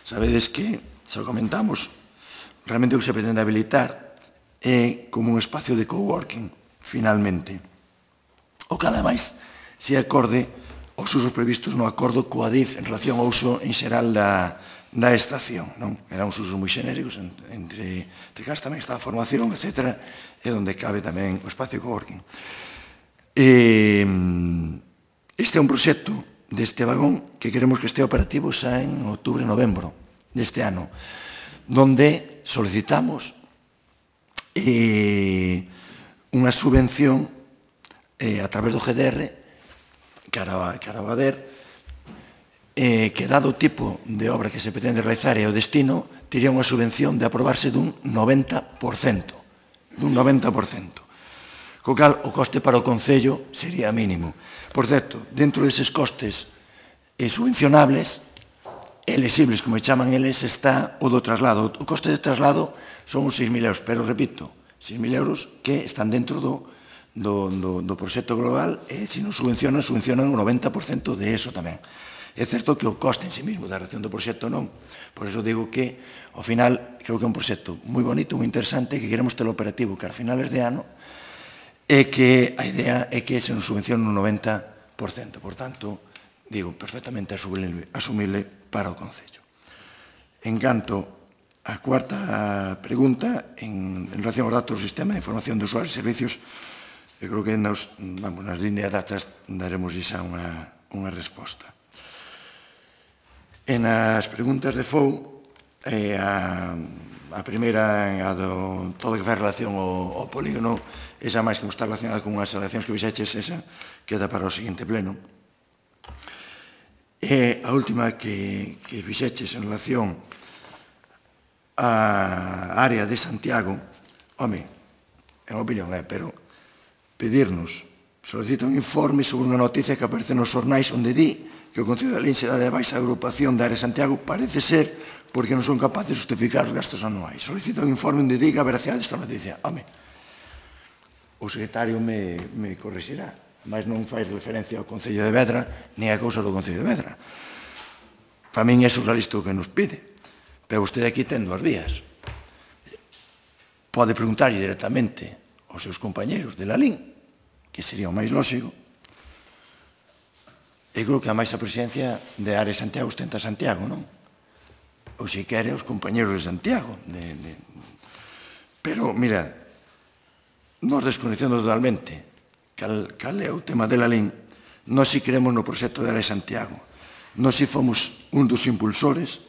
sabedes que, se o comentamos, realmente o que se pretende habilitar é como un espacio de coworking, finalmente. O que ademais se acorde os usos previstos no acordo coa D I F en relación ao uso en xeral da, da estación. Non? Eran uns usos moi xenéricos, entre, entre cas tamén está a formación, etcétera, e onde cabe tamén o espacio coworking. E, este é un proxecto deste vagón que queremos que este operativo xa en outubro e novembro deste ano, donde solicitamos eh, unha subvención eh, a través do G D R cara, cara ao A D E R eh, que dado o tipo de obra que se pretende realizar e o destino tería unha subvención de aprobarse dun noventa por cento dun noventa por cento co cal o coste para o Concello sería mínimo. Por certo, dentro deses costes eh, subvencionables elexibles, como chaman eles, está o do traslado. O coste de traslado son uns seis mil euros, pero repito, seis mil euros que están dentro do, do, do, do proxecto global e se non subvencionan, subvencionan o noventa por cento de eso tamén. É certo que o coste en sí mismo da reacción do proxecto non. Por eso digo que, ao final, creo que é un proxecto moi bonito, moi interesante, que queremos ter operativo que a finales de ano e que a idea é que se nos subvencione un noventa por cento. Por tanto, digo, perfectamente asumible, asumible para o Concello. En canto a cuarta pregunta, en, en relación aos datos do Sistema de Información de Usuarios e Servicios, eu creo que nos, vamos, nas líneas datas daremos xa unha, unha resposta. En as preguntas de F O U, eh, a, a primeira, a do todo que fai relación ao, ao polígono, esa máis que está relacionada con unhas alegacións que fixeches, esa queda para o seguinte pleno. E a última que, que fixeches en relación á área de Santiago, home, en opinión é, pero pedirnos, solicita un informe sobre unha noticia que aparece nos xornais onde di que o Concello de Lalín será de baixa agrupación da área de Santiago, parece ser porque non son capaces de justificar os gastos anuais. Solicita un informe onde diga a veracidade desta noticia. Home, o secretario me, me corrixirá, mas non fai referencia ao Concello de Vedra nin a cousa do Concello de Vedra. Para min é surrealista o que nos pide, pero vostede aquí ten dúas vías. Pode preguntarlle directamente aos seus compañeros de Lalín, que sería o máis lógico. Eu creo que a máis a presidencia de Área de Santiago ostenta Santiago, non? Ou se quere os compañeros de Santiago. De, de... Pero, mira, nos desconecendo totalmente cal, cal é o tema de Lalín, nós si queremos no proxecto de Área de Santiago. Nós si fomos un dos impulsores.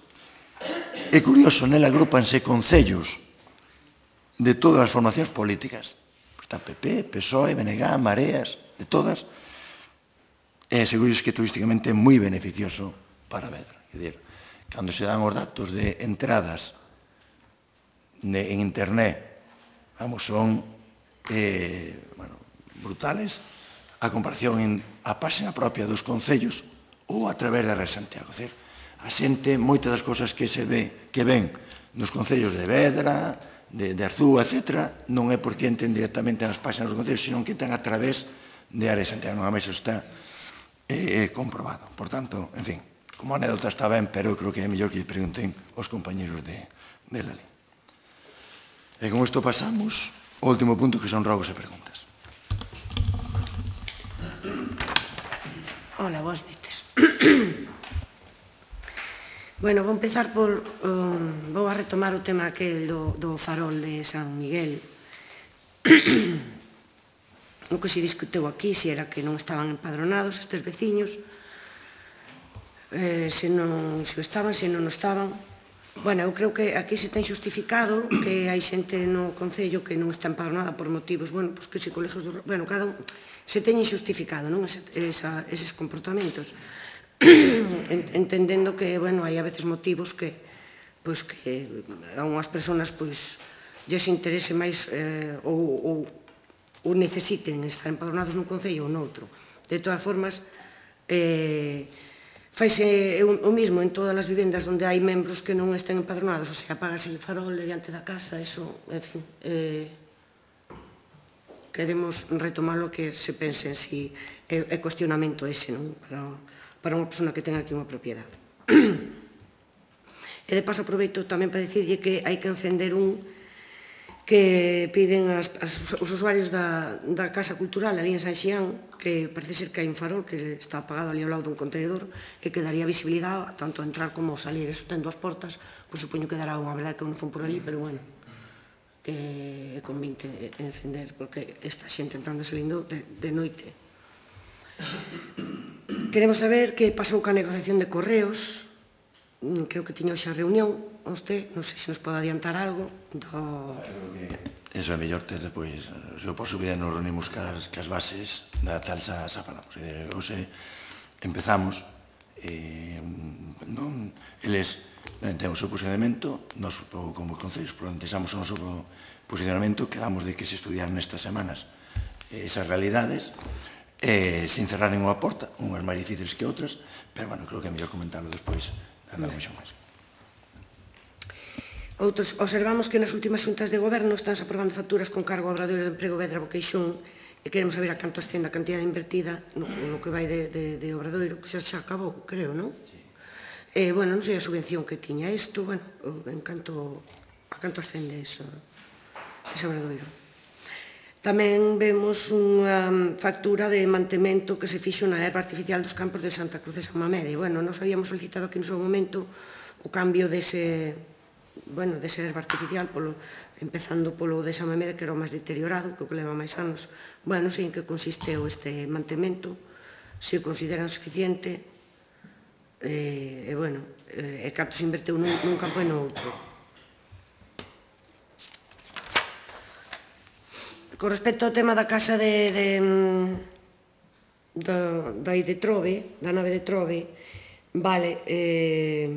É curioso, nela agrupanse concellos de todas as formacións políticas. Está P P, P S O E, B N G, Mareas, de todas. E seguro que turísticamente é moi beneficioso para Vedra. É dicir, cando se dan os datos de entradas en internet, vamos, son eh, bueno, brutales a comparación en a página propia dos concellos ou a través da Red Santiago. É dicir, a xente, moitas das cousas que se ve, que ven nos concellos de Vedra, de, de Arzúa, etcétera, non é porque entren directamente nas páxinas dos concellos, sino que entran a través de Área de Santiago. Non a máis está eh, comprobado. Por tanto, en fin, como anécdota está ben, pero eu creo que é mellor que pregunten os compañeros de, de la lei. E con isto pasamos ao último punto, que son rogos e preguntas. Hola, boas noites. Bueno, vou empezar por... Um, vou a retomar o tema aquel do, do farol de San Miguel. O que se discutiu aquí, se era que non estaban empadronados estes veciños, eh, se non se estaban, se non estaban. Bueno, eu creo que aquí se ten xustificado que hai xente no Concello que non está empadronada por motivos, bueno, pois que se colegios do... Bueno, cada un se teñen xustificado, non, esa, esa, eses comportamentos. Entendendo que, bueno, hai a veces motivos que, pois, que a unhas persoas, pois, lles interese máis eh, ou, ou, ou necesiten estar empadronados nun concello ou noutro. De todas formas, eh, faise o mismo en todas as vivendas onde hai membros que non estén empadronados, o sea, apágase o farol diante da casa, eso, en fin, eh, queremos retomar o que se pense en si é, é cuestionamento ese, non? Para, para unha persona que ten aquí unha propiedade. E de paso aproveito tamén para dicirlle que hai que encender un que piden as, as, os usuarios da, da Casa Cultural ali en San Xián, que parece ser que hai un farol que está apagado ali ao lado dun contenedor e que daría visibilidade tanto a entrar como a salir. Eso ten dúas portas, pois supoño que dará unha verdade que non fun por ali, pero bueno, que é convinte encender, porque esta xente entrando e salindo de, de noite. Queremos saber que pasou ca negociación de correos. Creo que tiña hoxe a reunión, usted, non sei se nos pode adiantar algo do... Eso é mellor ter depois, se o posso ver, nos reunimos cas, cas bases da tal xa, xa falamos. Hoxe empezamos, eh, non, eles ten o seu posicionamento, nos como concellos plantexamos o noso posicionamento, quedamos de que se estudiaran nestas semanas esas realidades, eh, sin cerrar ninguna porta, unhas máis difíciles que outras, pero, bueno, creo que é mellor comentarlo despois. Outros, observamos que nas últimas xuntas de goberno están aprobando facturas con cargo ao Obradoiro de Emprego Vedra Boqueixón e queremos saber a canto ascende a cantidad invertida no, no que vai de, de, de Obradoiro, que xa, xa acabou, creo, non? Sí. Eh, bueno, non sei a subvención que tiña isto, bueno, en canto, a canto ascende ese, ese Obradoiro. Tamén vemos unha factura de mantemento que se fixo na erva artificial dos campos de Santa Cruz de San Mamede. Bueno, nos habíamos solicitado aquí no seu momento o cambio dese, bueno, dese erva artificial, polo, empezando polo de San Mamede, que era o máis deteriorado, que o que leva máis anos. Bueno, non sei en que consisteu este mantemento, se o consideran suficiente, e, e bueno, e canto se inverteu nun, nun campo e no outro. Con respecto ao tema da casa de, de, da, da de Trove, da nave de Trove, vale, eh,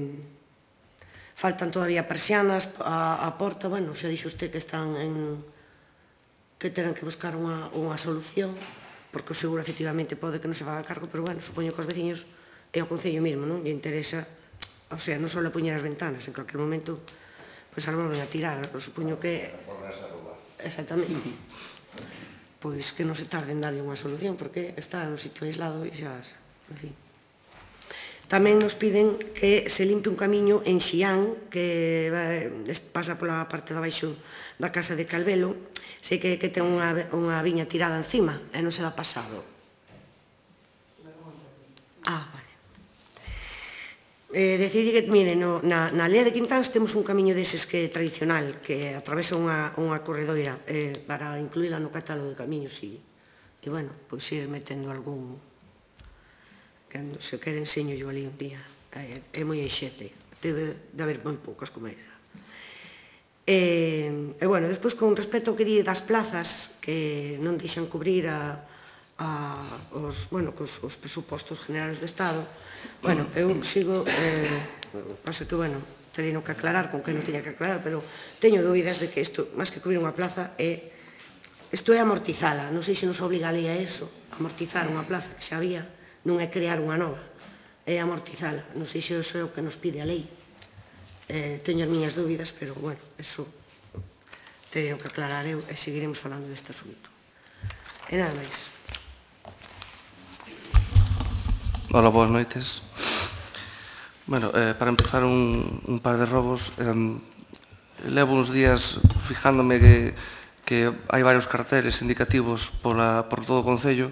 faltan todavía persianas a, a porta, bueno, xa dixo usted que están en, que terán que buscar unha, unha solución, porque o seguro efectivamente pode que non se faga cargo, pero bueno, supoño que os veciños e ao Concello mesmo, non? Lle interesa, o sea, non só poñer as ventanas, en calquer momento, pois algo volven a tirar, supoño que... Exactamente. Pois que non se tarde en darlle unha solución, porque está no sitio aislado e xa, en fin. Tamén nos piden que se limpe un camiño en Xián, que pasa pola parte de abaixo da casa de Calvelo. Sei que ten unha viña tirada encima e non se dá pasado. Ah, vale. Eh, decirlle que, mire, no, na, na Lea de Quintáns temos un camiño deses que tradicional, que atravesa unha, unha corredoira, eh, para incluíla no catálogo de camiños, e, e bueno, pois ir metendo algún, que se quere enseño yo ali un día, é, é moi enxete, debe de haber moi poucas como esa. E, e bueno, despois con respecto ao que di das plazas, que non deixan cubrir a, a, os, bueno, os, os presupostos generales do Estado. Bueno, eu sigo, eh, pasa que, bueno, terían que aclarar con que non tiña que aclarar, pero teño dúbidas de que isto, máis que cubrir unha plaza, é, isto é amortizala, non sei se nos obliga a lei a eso, amortizar unha plaza que xa había, non é crear unha nova, é amortizala, non sei se iso é o que nos pide a lei. Eh, teño as miñas dúbidas, pero, bueno, eso terían que aclarar eu e seguiremos falando deste asunto. E nada máis. Hola, boas noites. Bueno, eh, para empezar un, un par de robos, eh, levo uns días fijándome que, que hai varios carteles indicativos pola, por todo o Concello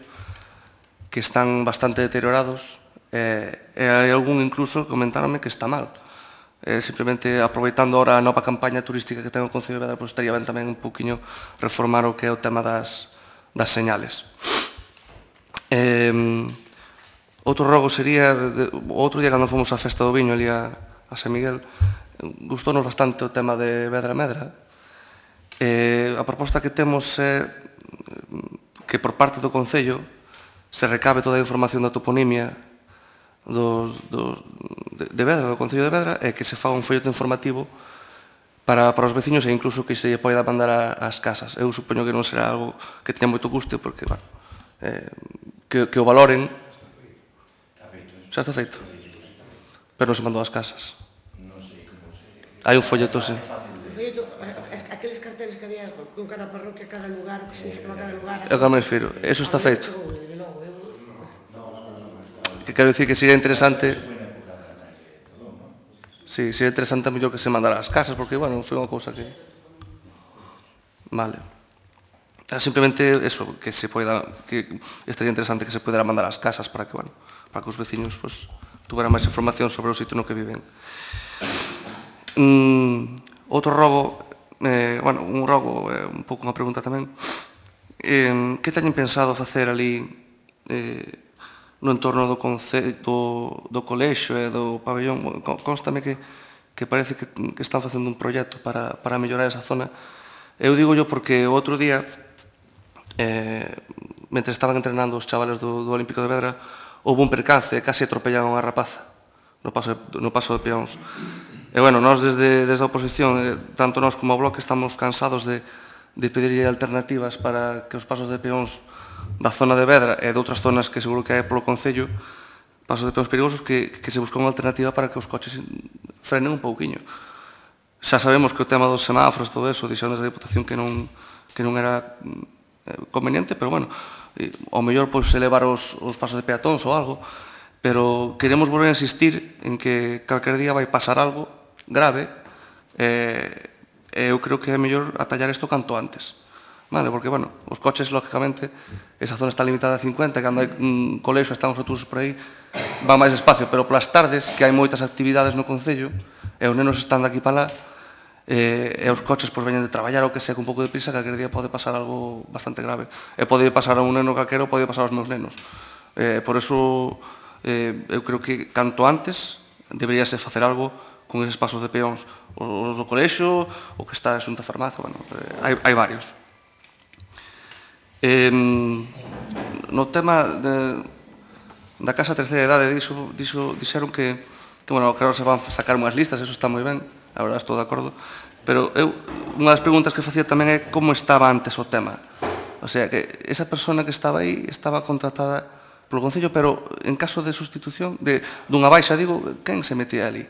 que están bastante deteriorados eh, e hai algún incluso que comentaronme que está mal. Eh, simplemente aproveitando ahora a nova campaña turística que ten o Concello de Vedra, pues estaría ben tamén un poquinho reformar o que é o tema das, das señales. Eh, Outro rogo sería, o outro día cando fomos á festa do viño ali a, a San Miguel, gustounos bastante o tema de Vedra Medra. Eh, a proposta que temos é que por parte do Concello se recabe toda a información da toponimia dos, dos, de, de Vedra, do Concello de Vedra, e que se faga un folleto informativo para, para os veciños e incluso que se poida mandar a, ás casas. Eu supoño que non será algo que teña moito gusto, porque, bueno, eh, que, que o valoren. Xa está feito. Pero non se mandou ás casas. Hai un folleto, sí. O folleto, aqueles carteles que había con cada parroquia, cada lugar, o que significaba cada lugar. É o que me refiro. Eso está feito. Que quero dicir que sería interesante... Sí, sería interesante a mellor que se mandara ás casas, porque, bueno, foi unha cousa que... Vale. Simplemente eso, que se pueda, que estaría interesante que se pudiera mandar ás casas para que, bueno, para que os veciños pues, tuveran máis información sobre o sitio no que viven. Mm, outro rogo, eh, bueno, un rogo, eh, un pouco unha pregunta tamén. Eh, que teñen pensado facer ali eh, no entorno do, conce, do, do colexo e do pabellón? Constame que, que parece que, que están facendo un proxecto para, para mellorar esa zona. Eu digo yo porque o outro día, eh, mentre estaban entrenando os chavales do, do Olímpico de Vedra, houve un percance e case atropellaron a unha rapaza no paso de, no paso de peóns. E, bueno, nós desde, desde a oposición, eh, tanto nós como o Bloque, estamos cansados de, de pedir alternativas para que os pasos de peóns da zona de Vedra e de outras zonas que seguro que hai polo Concello, pasos de peóns perigosos, que, que se busca unha alternativa para que os coches frenen un pouquiño. Xa sabemos que o tema dos semáforos, todo eso, dixeron desde a Diputación que non, que non era conveniente, pero, bueno, ao mellor pois, elevar os, os pasos de peatóns ou algo, pero queremos volver a insistir en que calquer día vai pasar algo grave e eu creo que é mellor atallar isto canto antes. Vale, porque, bueno, os coches, lógicamente, esa zona está limitada a cincuenta, cando hai un colexo, están os autobuses por aí, va máis despacio, pero polas tardes, que hai moitas actividades no Concello, e os nenos están de aquí para lá, e os coches pois veñen de traballar ou que sea con un pouco de prisa, que aquel día pode pasar algo bastante grave. E pode pasar a un neno calquero, pode pasar aos meus nenos. Por eso, eu creo que canto antes deberíase facer algo con eses pasos de peóns. Os do colexo, o que está a Xunta Farmacia, bueno, hai varios. No tema da Casa Terceira Idade, dixeron que, bueno, que ahora se van sacar unhas listas, eso está moi ben, a verdade estou de acordo, pero eu, unha das preguntas que facía tamén é como estaba antes o tema. O sea, que esa persona que estaba aí estaba contratada polo Concello, pero en caso de sustitución, dunha baixa, digo, quen se metía ali?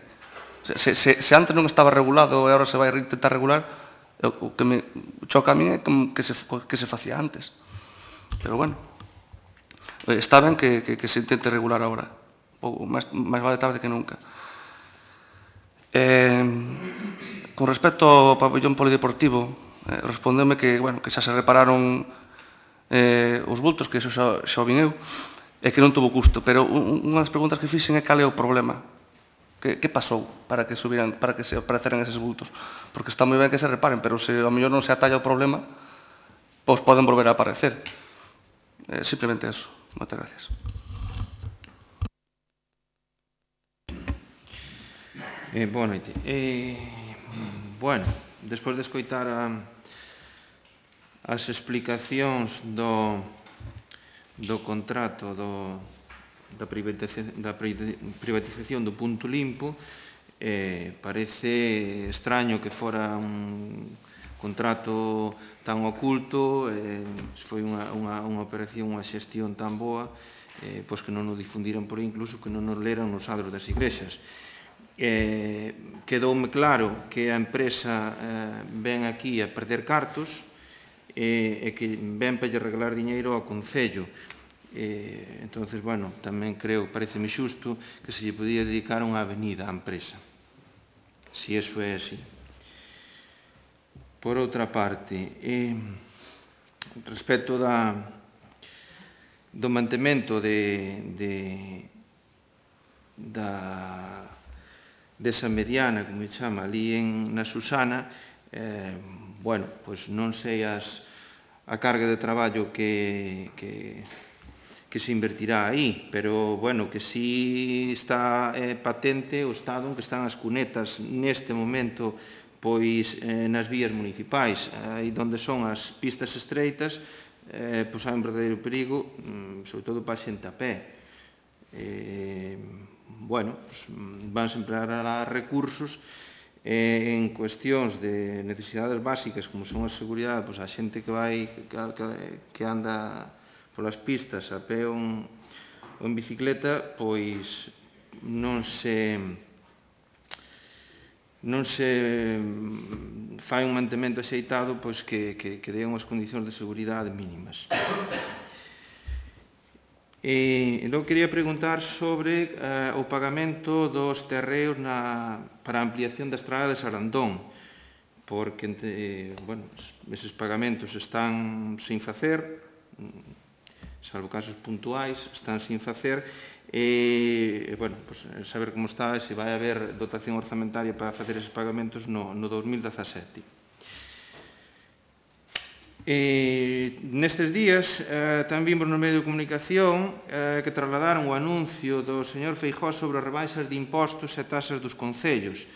Se antes non estaba regulado e agora se vai intentar regular, o que me choca a mí é que se facía antes. Pero, bueno, está ben que se intente regular agora, máis vale tarde que nunca. Con respecto ao pabellón polideportivo, respondeume que xa se repararon os bultos, que iso xa o vin eu, e que non tuvo custo. Pero unha das preguntas que fixen é cal é o problema. Que pasou para que se apareceran eses bultos? Porque está moi ben que se reparen, pero se ao mellor non se atalla o problema, pois poden volver a aparecer. Simplemente eso. Moitas gracias. Boa noite. Bueno, despois de escoitar as explicacións do contrato da privatización do punto limpo, parece extraño que fora un contrato tan oculto, foi unha operación, unha xestión tan boa, pois que non o difundiran por aí, incluso que non o leran nos adros das igrexas. Quedoume claro que a empresa ven aquí a perder cartos e que ven para lle regalar diñeiro ao Concello. Entón, bueno, tamén creo, pareceme xusto, que se lle podía dedicar unha avenida á empresa, se iso é así. Por outra parte, respecto do mantemento desa mediana, como me chama, ali na Susana, bueno, pois non sei a carga de traballo que se invertirá aí, pero, bueno, que si está patente o estado en que están as cunetas neste momento pois nas vías municipais, aí onde son as pistas estreitas, pois hai un verdadeiro perigo, sobre todo para a xente a pé. Bueno, van a emplear recursos en cuestións de necesidades básicas, como son a seguridade, pois a xente que vai, que anda polas pistas a pé ou en bicicleta, pois non se... non se fai un mantemento axeitado que dé unhas condicións de seguridade mínimas. E logo quería preguntar sobre o pagamento dos terreos para a ampliación da estrada de Sarandón, porque bueno, eses pagamentos están sin facer, salvo casos puntuais, están sin facer, e, bueno, pues, saber como está, se vai haber dotación orzamentaria para facer eses pagamentos no, no dos mil dezasete. E, nestes días eh, tamén vimos no medio de comunicación eh, que trasladaron o anuncio do señor Feijóo sobre as rebaixas de impostos e tasas dos concellos.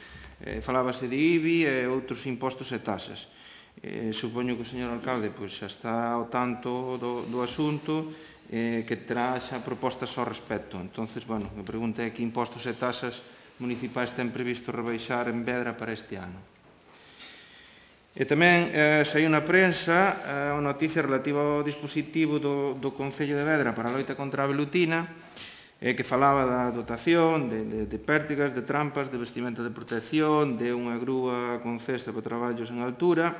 Eh, falábase de I B I e outros impostos e tasas. Eh, supoño que o señor alcalde pois, xa está ao tanto do, do asunto, eh, que terá xa propostas ao respecto. Entonces, bueno, a pregunta é que impostos e tasas municipais ten previsto rebaixar en Vedra para este ano. E tamén eh, saiu na prensa eh, unha noticia relativa ao dispositivo do, do Concello de Vedra para a loita contra a velutina, eh, que falaba da dotación de, de, de pértigas, de trampas, de vestimenta de protección, de unha grúa con cesta para traballos en altura.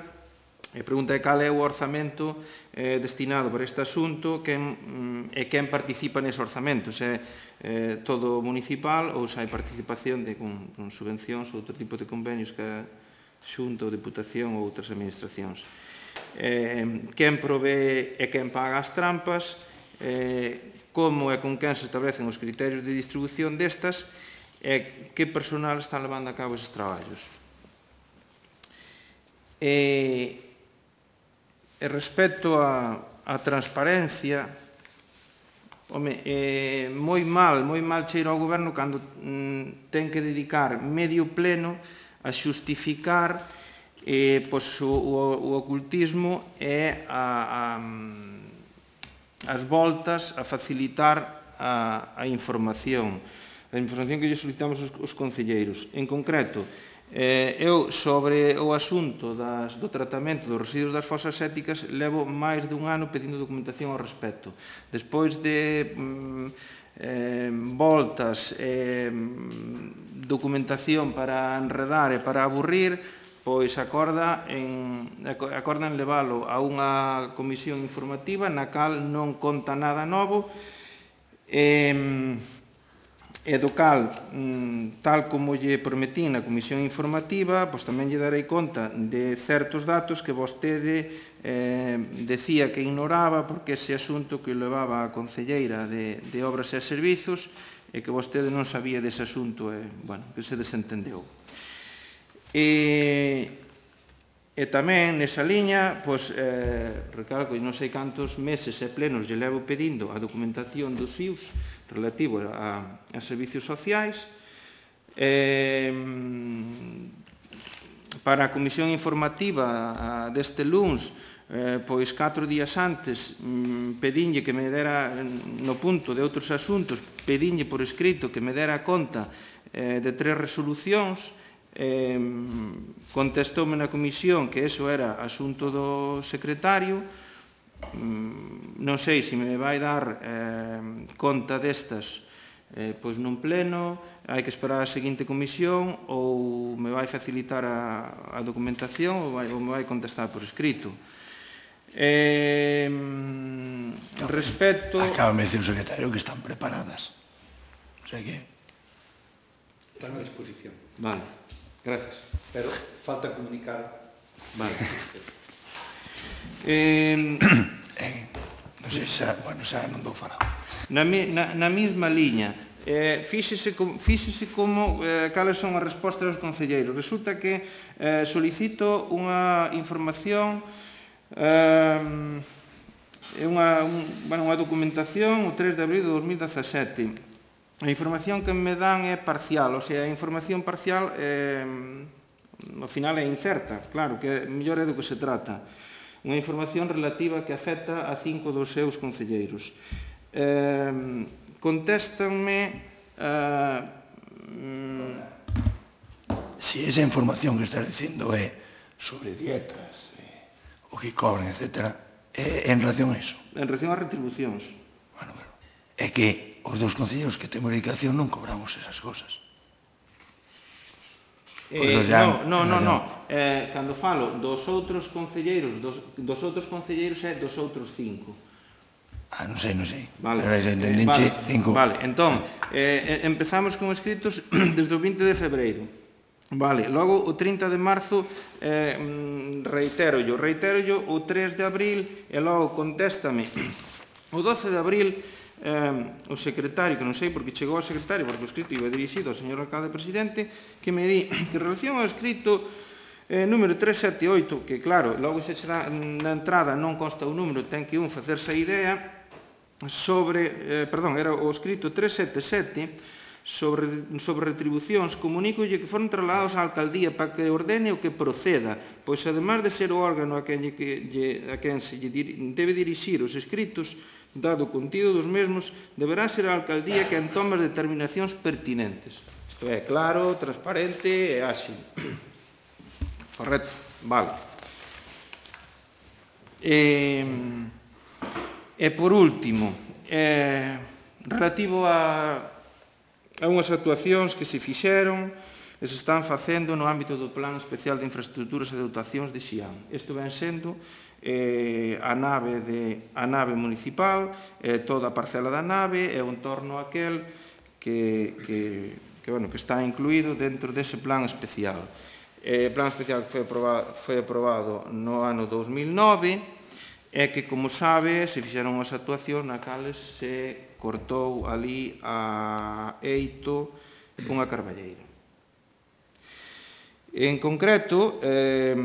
E pregunta é cal é o orzamento eh, destinado para este asunto quen, mm, e quen participa nese orzamento, se é eh, todo municipal ou se hai participación de, con, con subvencións ou outro tipo de convenios que a Xunta ou Deputación ou outras administracións. Eh, quen provee e quen paga as trampas, eh, como e con quen se establecen os criterios de distribución destas e que personal están levando a cabo eses traballos. E, e respecto a, a transparencia, home, eh, moi mal, moi mal cheiro ao goberno cando mm, ten que dedicar medio pleno a xustificar eh, pois, o, o, o ocultismo e a, a, as voltas a facilitar a, a información, a información que lle solicitamos os, os concelleiros. En concreto, eh, eu sobre o asunto das, do tratamento dos residuos das fosas sépticas levo máis dun ano pedindo documentación ao respecto. Despois de mm, eh, voltas e eh, documentación para enredar e para aburrir, pois acorda en, acordan leválo a unha comisión informativa na cal non conta nada novo e, e do cal, tal como lle prometín na comisión informativa, pois tamén lle darei conta de certos datos que vostede eh, decía que ignoraba porque ese asunto que levaba a concelleira de, de Obras e Servizos e que vostede non sabía dese asunto e, bueno, que se desentendeu. E, e tamén nesa liña, pois, eh, recalco, non sei cantos meses e plenos lle levo pedindo a documentación dos I U S relativo a, a servicios sociais. Eh, para a comisión informativa deste luns, eh, pois catro días antes mm, pedinlle que me dera no punto de outros asuntos, pedinlle por escrito que me dera conta eh, de tres resolucións. Eh, contestoume na comisión que eso era asunto do secretario. Mm, non sei se me vai dar eh, conta destas eh, pois nun pleno, hai que esperar a seguinte comisión ou me vai facilitar a, a documentación ou, vai, ou me vai contestar por escrito. Eh, respecto... Acaba de decir o secretario que están preparadas. O sea que... Están a disposición. Vale, gracias. Pero falta comunicar. Vale. eh, eh, non sei xa, bueno, xa non dou falado. Na, na, na mesma liña, eh, fíxese, fíxese como, eh, cales son as respostas dos concelleiros. Resulta que eh, solicito unha información, eh, unha, un, bueno, unha documentación o tres de abril de dos mil dezasete. A información que me dan é parcial, o sea, a información parcial eh, ao final é incerta, claro, que mellor é do que se trata. Unha información relativa que afecta a cinco dos seus concelleiros. Eh, contéstanme eh, si esa información que está dicindo é sobre dietas, eh, o que cobran, etcétera, é en relación a eso. En relación ás retribucións. Bueno, bueno, é que os dos concelleiros que temos dedicación non cobramos esas cosas. Eh, no, no, no, no. Eh, cando falo dos outros concelleiros, dos, dos outros concelleiros é dos outros cinco. Ah, non sei, non sei. Vale, eh, eh, vale, cinco. Vale, entón, eh, empezamos con escritos desde o vinte de febreiro. Vale, logo o trinta de marzo eh, reiterollo, reiterollo o tres de abril e logo contéstame o doce de abril eh, o secretario, que non sei porque chegou ao secretario, porque o escrito iba dirixido ao señor alcalde presidente, que me di que en relación ao escrito eh, número tres sete oito, que claro, logo se che dá na entrada non consta o número, ten que un facerse a idea sobre, eh, perdón, era o escrito tres sete sete, sobre, sobre retribucións, comunícolle que foron trasladados á alcaldía para que ordene o que proceda, pois ademais de ser o órgano a quen, que, lle, a quen se lle debe dirixir os escritos, dado o contido dos mesmos, deberá ser a alcaldía quen tome as determinacións pertinentes. Isto é claro, transparente e áxil. Correcto? Vale. E, e por último, eh, relativo a a unhas actuacións que se fixeron e se están facendo no ámbito do Plan Especial de Infraestructuras e Dotacións de Xián. Isto ven sendo eh, a, nave de, a nave municipal, eh, toda a parcela da nave e o entorno aquel que, que, que, bueno, que está incluído dentro dese plan especial. Eh, o plan especial que foi aprobado, foi aprobado no ano dos mil nove e que, como sabe, se fixeron as actuacións na cales se cortou ali a eito unha carballeira. En concreto, eh,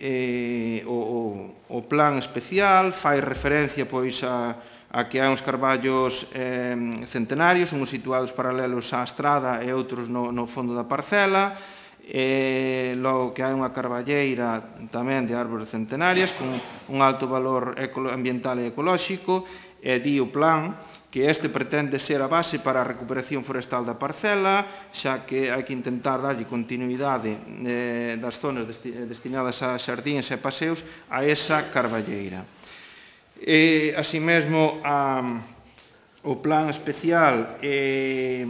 eh, o, o plan especial fai referencia pois a, a que hai uns carballos eh, centenarios, uns situados paralelos á estrada e outros no, no fondo da parcela, e logo que hai unha carballeira tamén de árbores centenarias con un alto valor ambiental e ecolóxico, e di o plan que este pretende ser a base para a recuperación forestal da parcela, xa que hai que intentar darlle continuidade eh, das zonas desti destinadas a xardíns e paseos a esa carballeira. E, así mesmo, a, o plan especial eh,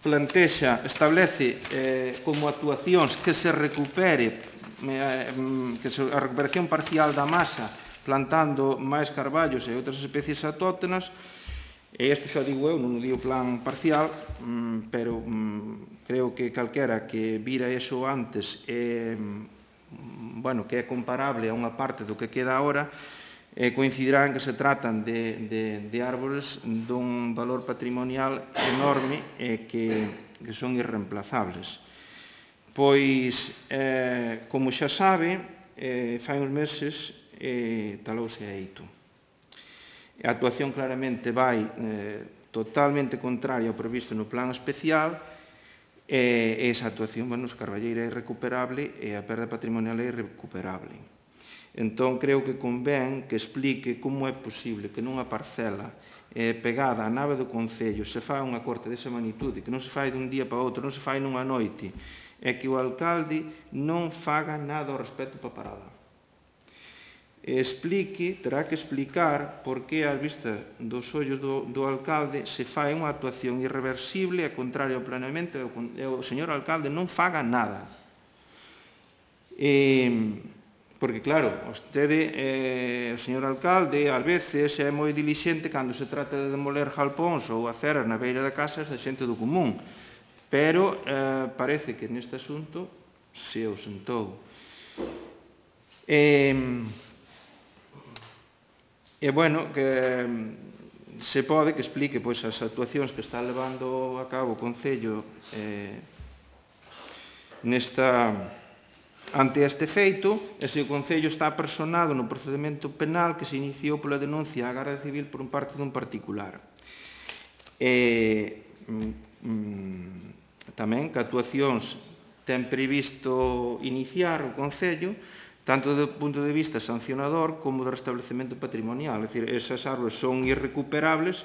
plantexa, establece eh, como actuacións que se recupere eh, que se, a recuperación parcial da masa plantando máis carballos e outras especies autóctonas, e isto xa digo eu, non o digo plan parcial, pero creo que calquera que vira eso antes, é, bueno, que é comparable a unha parte do que queda agora, eh, coincidirá en que se tratan de, de, de árbores dun valor patrimonial enorme e que, que son irreemplazables. Pois, eh, como xa sabe, eh, fai uns meses e talouse a eito. A actuación claramente vai eh, totalmente contraria ao previsto no plan especial e esa actuación, bueno, a carballeira é irrecuperable e a perda patrimonial é irrecuperable. Entón, creo que convén que explique como é posible que nunha parcela eh, pegada á nave do Concello se fai unha corte desa magnitude, que non se fai dun día para outro, non se fai nunha noite, e que o alcalde non faga nada ao respecto para parala. Explique, terá que explicar por que, ás vistas dos ollos do, do alcalde, se fai unha actuación irreversible e contraria ao planeamento e o señor alcalde non faga nada. E, porque, claro, vostede, eh, o señor alcalde, ás veces é moi dilixente cando se trata de demoler jalpóns ou aceras na beira da casa da xente do común, pero eh, parece que neste asunto se ausentou. E... E, bueno, que se pode que explique pois, as actuacións que está levando a cabo o Concello eh, nesta, ante este feito, e se o Concello está personado no procedimento penal que se iniciou pola denuncia á Garda Civil por un parte dun particular. E, mm, tamén que actuacións ten previsto iniciar o Concello tanto do punto de vista sancionador como do restablecemento patrimonial. É dicir, esas árbores son irrecuperables,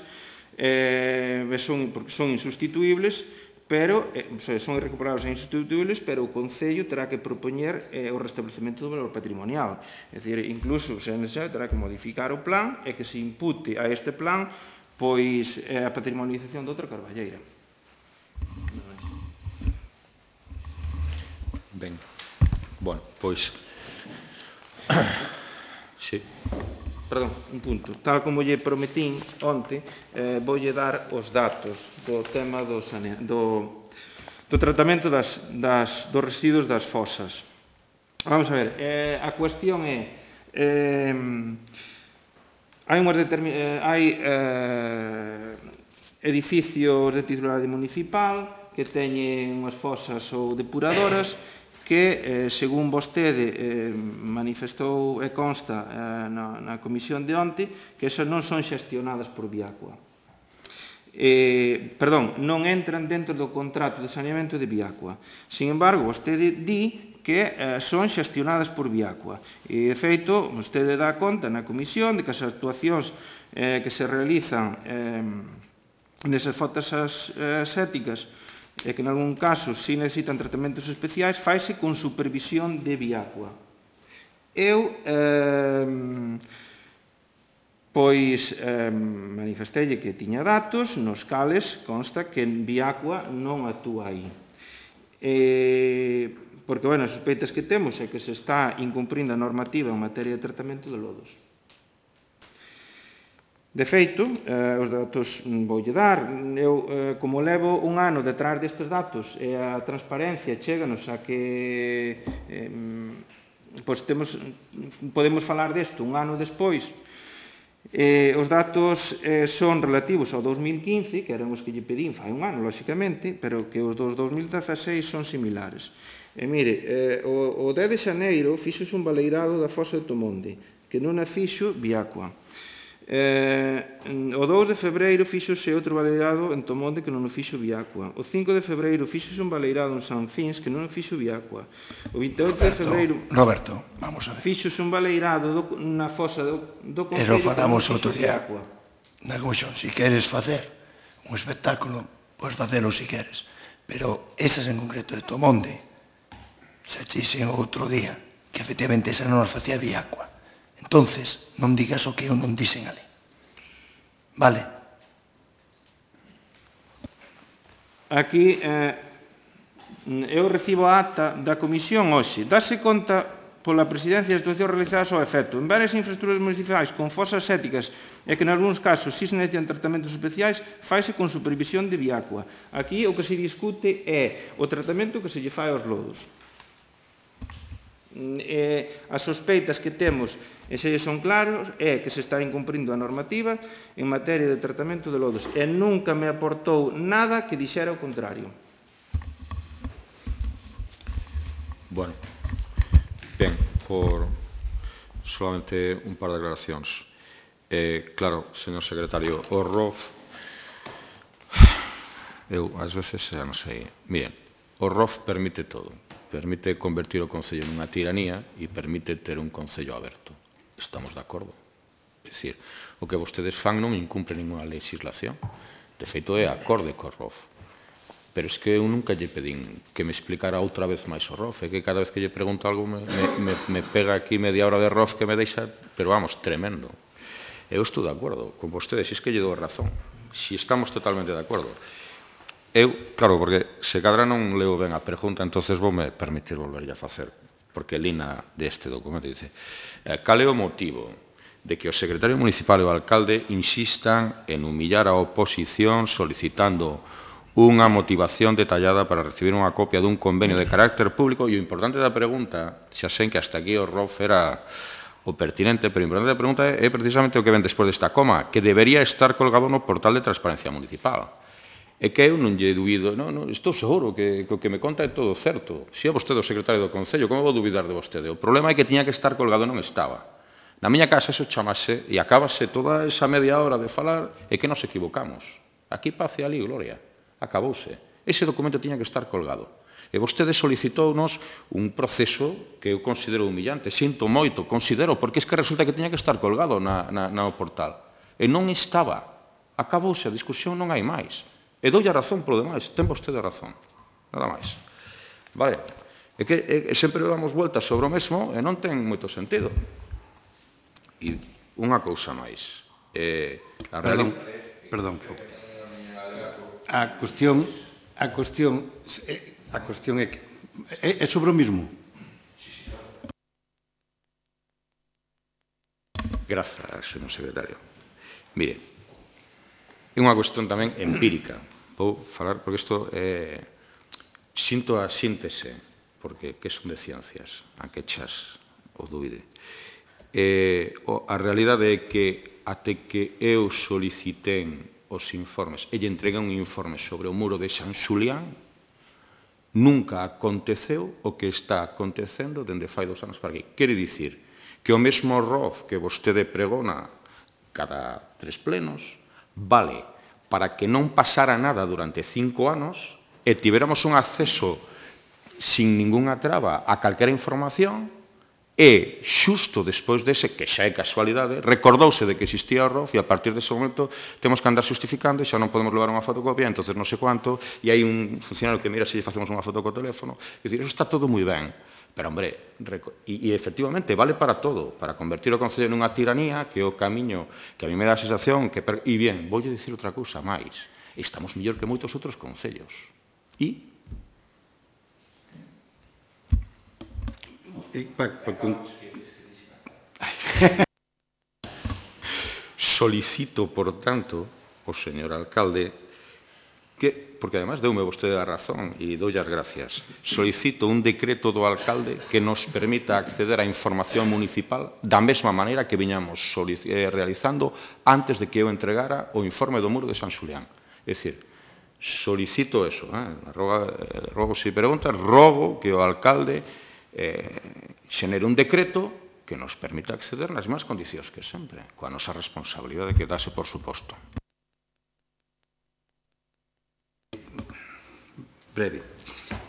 eh, son, son insustituibles, pero, eh, son irrecuperables e insustituibles, pero o Concello terá que propoñer eh, o restablecemento do valor patrimonial. É dicir, incluso, se é necesario, terá que modificar o plan e que se impute a este plan pois, eh, a patrimonialización de outra carballeira. Ben, bueno, pois... Sí, perdón, un punto. Tal como lle prometín onte, eh, voulle dar os datos do tema do, sane... do, do tratamento das, das, dos residuos das fosas. Vamos a ver, eh, a cuestión é... Eh, hai unhas determin... eh, hai eh, edificios de titularidade municipal que teñen unhas fosas ou depuradoras que, eh, según vostede eh, manifestou e consta eh, na, na comisión de onte, que esas non son xestionadas por Viacua. Eh, perdón, non entran dentro do contrato de saneamento de Viacua. Sin embargo, vostede di que eh, son xestionadas por Viacua. E, de feito, vostede dá conta na comisión de que as actuacións eh, que se realizan eh, nesas fotos eh, séticas e que, en algún caso, si necesitan tratamentos especiais, faise con supervisión de Viacua. Eu, eh, pois, eh, manifestelle que tiña datos nos cales consta que Viacua non actúa aí. Eh, porque, bueno, as sospeitas que temos é que se está incumprindo a normativa en materia de tratamento de lodos. De feito, eh, os datos voulle dar. Eu, eh, como levo un ano detrás destes datos e a transparencia chéganos a que eh, pois temos, podemos falar desto un ano despois. Eh, os datos eh, son relativos ao dos mil quince, que eran os que lle pedín fai un ano, lóxicamente, pero que os dos dos mil dezaseis son similares. E mire, eh, o, o dez de xaneiro fixose un baleirado da fosa de Tomonde, que non a fixo Viacua. Eh, o dous de febreiro fixose outro baleirado en Tomonde que non o fixo Viacua. O cinco de febreiro fixose un baleirado en San Fins que non o fixo Viacua. O vinte e oito de febreiro Roberto, vamos a ver. Fixose un baleirado do, na fosa do, do Concello que non fixo outro día Viacua. Na comisión, si queres facer un espectáculo, podes facelo si queres, pero esas en concreto de Tomonde se dixen outro día que efectivamente esa non nos facía Viacua. Entonces, non digas o que eu non dixen ali. Vale? Aquí, eh, eu recibo a acta da comisión hoxe. Dase conta pola presidencia das actuacións realizadas ao efecto en varias infraestructuras municipais con fosas sépticas e que, en algúns casos, si se necesitan tratamentos especiais, faise con supervisión de Viacua. Aquí o que se discute é o tratamento que se lle fai aos lodos. Eh, as sospeitas que temos, e se son claros, é que se está incumprindo a normativa en materia de tratamento de lodos e nunca me aportou nada que dixera o contrario. Bueno, ben, por solamente un par de declaracións. Eh, claro, señor secretario, o R O F, eu, ás veces, xa non sei, miren, o R O F permite todo. Permite convertir o Concello nunha tiranía e permite ter un Concello aberto. Estamos de acordo. É dicir, o que vostedes fan non incumpre ninguna legislación. De feito, é acorde co R O F. Pero es que eu nunca lle pedín que me explicara outra vez máis o R O F. É que cada vez que lle pregunto algo me, me, me pega aquí media hora de R O F que me deixa, pero vamos, tremendo. Eu estou de acordo con vostedes, e es que lle dou razón. Si estamos totalmente de acordo. Eu, claro, porque se cadra non leo ben a pregunta, entonces vou me permitir volverlle a facer, porque lina deste documento dice, cal é o motivo de que o secretario municipal e o alcalde insistan en humillar a oposición solicitando unha motivación detallada para recibir unha copia dun convenio de carácter público? E o importante da pregunta, xa sei que hasta aquí o R O F era o pertinente, pero o importante da pregunta é precisamente o que ven despois desta coma, que debería estar colgado no portal de transparencia municipal. É que eu non lle dubido, non, non, estou seguro que o que me conta é todo certo. Se é vostede o secretario do Concello, como vou dubidar de vostede? O problema é que tiña que estar colgado e non estaba. Na miña casa eso chamase e acabase toda esa media hora de falar e que nos equivocamos. Aquí paz e ali gloria. Acabouse. Ese documento tiña que estar colgado. E vostede solicitounos un proceso que eu considero humillante. Sinto moito, considero, porque es que resulta que tiña que estar colgado na, na, na portal. E non estaba. Acabouse a discusión, non hai máis. E doulle a razón polo demais, ten vostede a razón, nada máis. Vale, é que é, sempre damos vueltas sobre o mesmo e non ten moito sentido. E unha cousa máis. Eh, a perdón, perdón. A cuestión, a cuestión, a cuestión é que é, é sobre o mismo. Grazas, señor secretario. Mire, é unha cuestión tamén empírica. Vou falar, porque isto é... Sinto a síntese, porque que son de ciencias, a que chas o dúbide. Eh, a realidade é que até que eu solicitén os informes e lle entreguei un informe sobre o muro de San Xulián, nunca aconteceu o que está acontecendo dende fai dos anos para aquí. Quere dicir que o mesmo R O F que vostede pregona cada tres plenos vale para que non pasara nada durante cinco anos e tiveramos un acceso sin ninguna traba a calquera información e, xusto despois dese, que xa é casualidade, recordouse de que existía o R O F e a partir dese momento temos que andar justificando e xa non podemos levar unha fotocopia, entonces non sei cuánto, e hai un funcionario que mira se lle facemos unha foto co teléfono. É dicir, eso está todo moi ben, pero, hombre, e, e efectivamente vale para todo, para convertir o Concello nunha tiranía, que é o camiño que a mí me dá a sensación que... E bien, voulle dicir outra cousa máis, estamos mellor que moitos outros concellos. E... Solicito, por tanto, ao señor alcalde que, porque además deume vostede a razón e doulle as gracias, solicito un decreto do alcalde que nos permita acceder á información municipal da mesma maneira que viñamos realizando antes de que eu entregara o informe do muro de San Xulián. É dicir, solicito eso, rogo se preguntas, rogo que o alcalde xenere un decreto que nos permita acceder nas máis condicións que sempre, coa nosa responsabilidade que dase por suposto. Breve,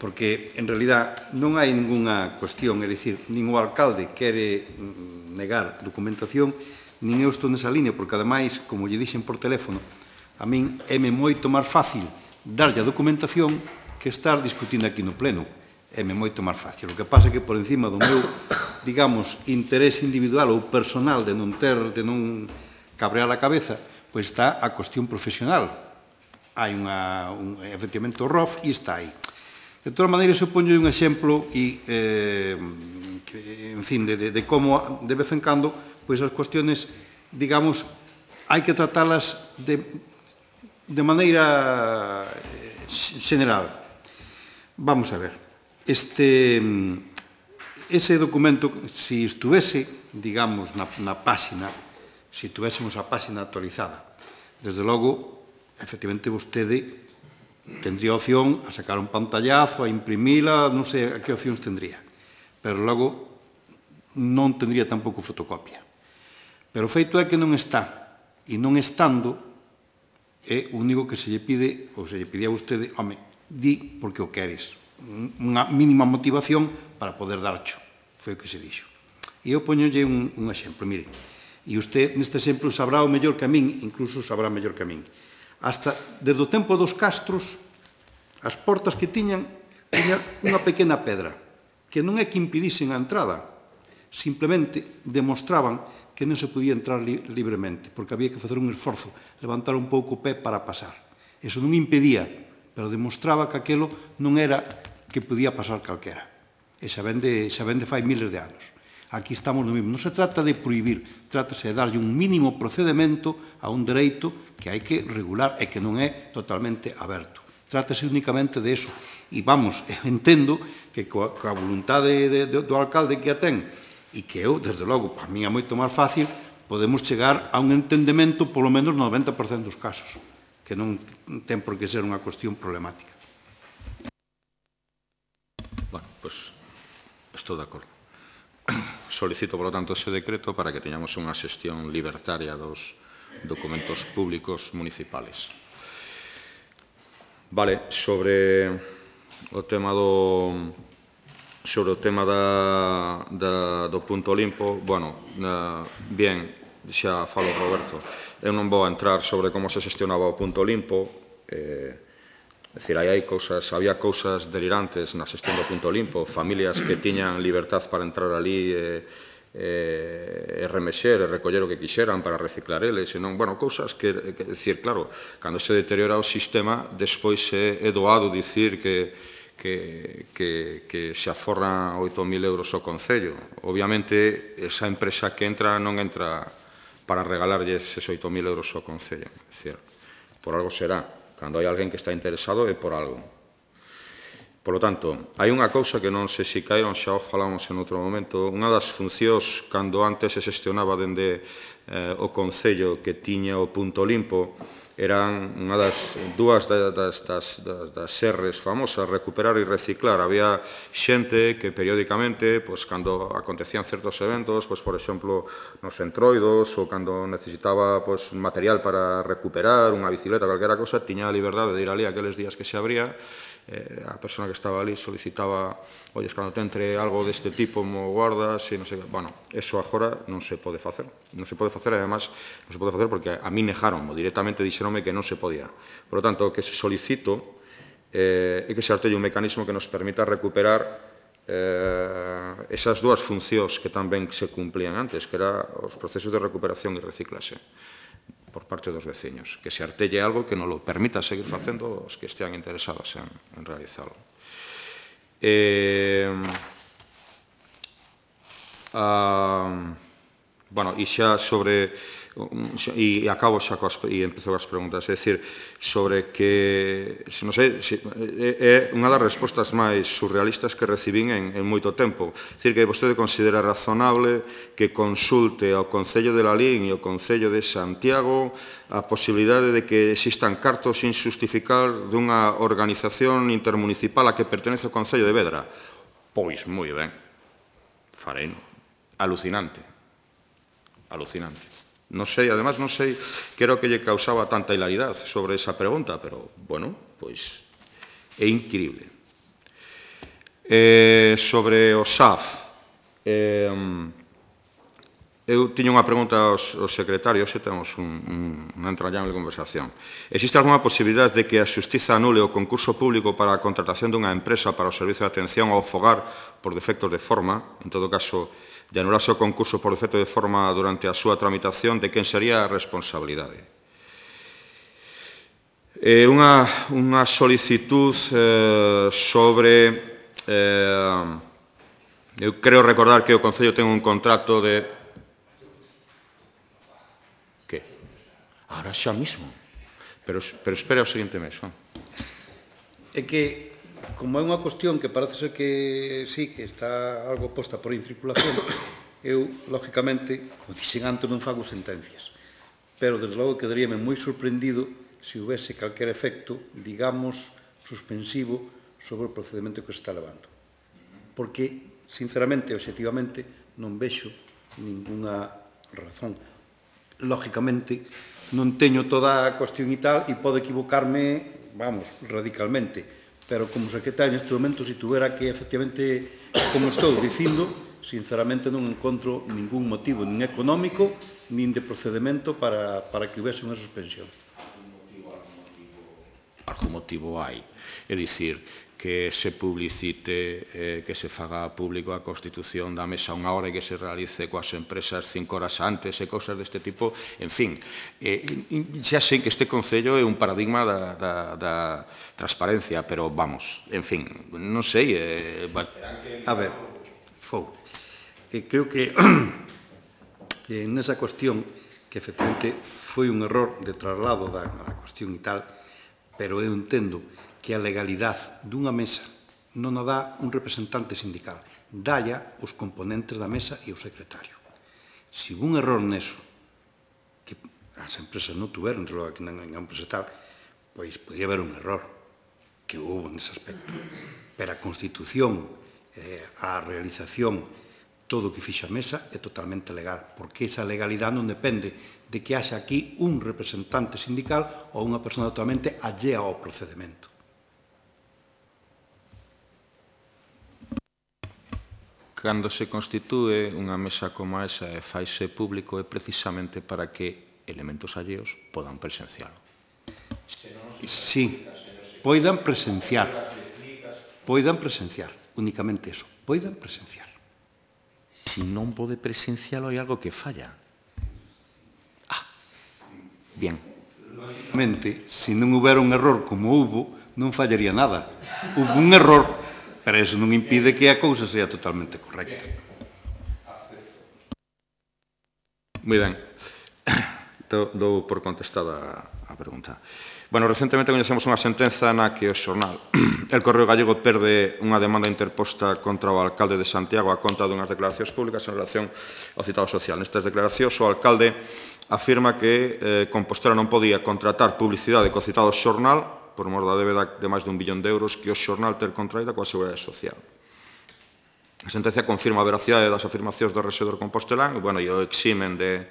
porque en realidad non hai ninguna cuestión, é dicir, nin o alcalde quere negar documentación, nin eu estou nesa línea, porque ademais, como lle dixen por teléfono, a min é-me moito máis fácil darlle a documentación que estar discutindo aquí no pleno. É-me moito máis fácil. O que pasa é que por encima do meu, digamos, interés individual ou personal de non ter, de non cabrear a cabeza, pois está a cuestión profesional. Hai unha, un, efectivamente, o R O F e está aí. De todas maneiras, eu ponho un exemplo e, eh, que, en fin, de, de, de como, de vez en cando, pois as cuestiones, digamos, hai que tratalas de, de maneira general. Vamos a ver. Este, ese documento, se estuvese, digamos, na, na páxina, se tuvéssemos a páxina actualizada, desde logo, efectivamente, vostede tendría opción a sacar un pantallazo, a imprimila, non sei a que opcións tendría, pero logo non tendría tampouco fotocopia. Pero o feito é que non está, e non estando, é o único que se lle pide, ou se lle pide a vostede, home, di porque o queres, unha mínima motivación para poder darcho. Foi o que se dixo. E eu poñolle un, un exemplo, mire, e usted neste exemplo sabrá o mellor que a min, incluso sabrá mellor que a min. Hasta, desde o tempo dos castros, as portas que tiñan, tiñan unha pequena pedra, que non é que impidisen a entrada, simplemente demostraban que non se podía entrar li libremente, porque había que facer un esforzo, levantar un pouco o pé para pasar. Eso non impedía, pero demostraba que aquelo non era que podía pasar calquera. E xa vende, xa vende fai miles de anos. Aquí estamos no mesmo. Non se trata de prohibir, trátase de darlle un mínimo procedimento a un dereito que hai que regular e que non é totalmente aberto. Trátase únicamente de eso. E vamos, entendo que coa, coa voluntade de, de, do alcalde que a ten e que eu, desde logo, para mí é moito máis fácil, podemos chegar a un entendemento polo menos no noventa por cento dos casos, que non ten por que ser unha cuestión problemática. Bueno, pois, estou de acordo. Solicito, por lo tanto, ese decreto para que teñamos unha xestión libertaria dos documentos públicos municipales. Vale, sobre o tema do sobre o tema da, da, do punto limpo, bueno, na, bien, xa falo Roberto, eu non vou a entrar sobre como se xestionaba o punto limpo, eh, é dicir, aí hai cousas, había cousas delirantes na xestión do punto limpo, familias que tiñan libertad para entrar ali e, e, e remexer e recoller o que quixeran para reciclar eles, senón, bueno, cousas que, que, decir, claro, cando se deteriora o sistema, despois é, é doado dicir que, que, que, que se aforran oito mil euros ao Concello. Obviamente, esa empresa que entra non entra para regalarlles esos oito mil euros ao Concello. É dicir, por algo será. Cando hai alguén que está interesado é por algo. Por lo tanto, hai unha cousa que non sei se caeron, xa o falamos en outro momento. Unha das funcións, cando antes se xestionaba dende eh, o Concello que tiña o punto limpo, eran unha das dúas das, das, das, das serres famosas, recuperar e reciclar. Había xente que periódicamente, pues, cando acontecían certos eventos, pues, por exemplo, nos entroidos, ou cando necesitaba, pues, material para recuperar, unha bicicleta, calquera cosa, tiña a liberdade de ir ali aqueles días que se abría. Eh, a persona que estaba ali solicitaba, olles, cando te entre algo deste tipo, mo guardas, e non sei, bueno, eso agora non se pode facer, non se pode facer, e además non se pode facer porque a mí nejaron, directamente dixeronme que non se podía. Por lo tanto, o que se solicito eh, é que se artelle un mecanismo que nos permita recuperar eh, esas dúas funcións que tamén se cumplían antes, que era os procesos de recuperación e reciclaxe por parte dos veciños, que se artelle algo que nos lo permita seguir facendo os que estean interesados en, en realizarlo. Eh, ah, bueno, e xa sobre, e acabo xa coas, e empezo coas preguntas, é dicir, sobre que, non sei, é unha das respostas máis surrealistas que recibín en, en moito tempo. É dicir, que vostede considera razonable que consulte ao Concello de Lalín e ao Concello de Santiago a posibilidade de que existan cartos sin justificar dunha organización intermunicipal a que pertenece ao Concello de Vedra. Pois, moi ben, farei, alucinante. Alucinante. Non sei, además, non sei que era o que lle causaba tanta hilaridade sobre esa pregunta, pero, bueno, pois, é increíble. Eh, sobre o S A F, eh, eu tiño unha pregunta aos, aos secretarios, e temos un, un, unha entrañable conversación. Existe algunha posibilidade de que a Xustiza anule o concurso público para a contratación dunha empresa para o servicio de atención ao fogar por defectos de forma, en todo caso, de anularse o concurso por defecto de forma durante a súa tramitación, de quen sería a responsabilidade? Eh, unha, unha solicitud eh, sobre... Eh, eu creo recordar que o Concello ten un contrato de... Que? Ahora xa mismo. Pero, pero espera o seguinte mes. ¿No? É que, como é unha cuestión que parece ser que sí, que está algo posta por incirculación, eu, lógicamente, como dixen antes, non fago sentencias. Pero, desde logo, quedaríame moi sorprendido se houvese calquer efecto, digamos, suspensivo sobre o procedimento que se está levando. Porque, sinceramente, obxectivamente, non vexo ninguna razón. Lógicamente, non teño toda a cuestión e tal, e pode equivocarme, vamos, radicalmente. Pero como secretario neste momento, se tuvera que, efectivamente, como estou dicindo, sinceramente non encontro ningún motivo, nin económico, nin de procedimento para, para que houvese unha suspensión. Algún motivo hai. É dicir, que se publicite, eh, que se faga público a constitución da mesa unha hora e que se realice coas empresas cinco horas antes e cousas deste tipo, en fin, eh, xa sei que este Concello é un paradigma da, da, da transparencia, pero vamos, en fin, non sei... Eh, a ver, Fou, eh, creo que eh, nesa cuestión, que efectivamente foi un error de traslado da, da cuestión e tal, pero eu entendo que a legalidade dunha mesa non a dá un representante sindical, dalla os componentes da mesa e o secretario. Se hubo un error neso, que as empresas non tuveron, logo aquí na empresa tal, pois podía haber un error, que houve nese aspecto. Pero a Constitución, eh, a realización, todo o que fixa a mesa é totalmente legal, porque esa legalidade non depende de que haxa aquí un representante sindical ou unha persona totalmente allea ao procedimento. Cando se constitúe unha mesa como esa e faise público é precisamente para que elementos alleos podan presencialo. Sí, poidan presenciar. Poidan presenciar, únicamente eso. Poidan presenciar. Si non pode presencialo, hai algo que falla. Ah, bien. Lógicamente, se non houbera un error como hubo, non fallaría nada. Hubo un error, pero eso non impide que a cousa sea totalmente correcta. Moi ben. Dou por contestada a pregunta. Bueno, recentemente coñecemos unha sentenza na que o xornal El Correo Gallego perde unha demanda interposta contra o alcalde de Santiago a conta dunhas declaracións públicas en relación ao citado social. Nestas declaracións, o alcalde afirma que eh, Compostela non podía contratar publicidade co citado xornal por mor da débeda de máis dun billón de euros que o xornal ter contraída coa Seguridade Social. A sentencia confirma a veracidade das afirmacións do rexedor compostelán e, bueno, e o eximen de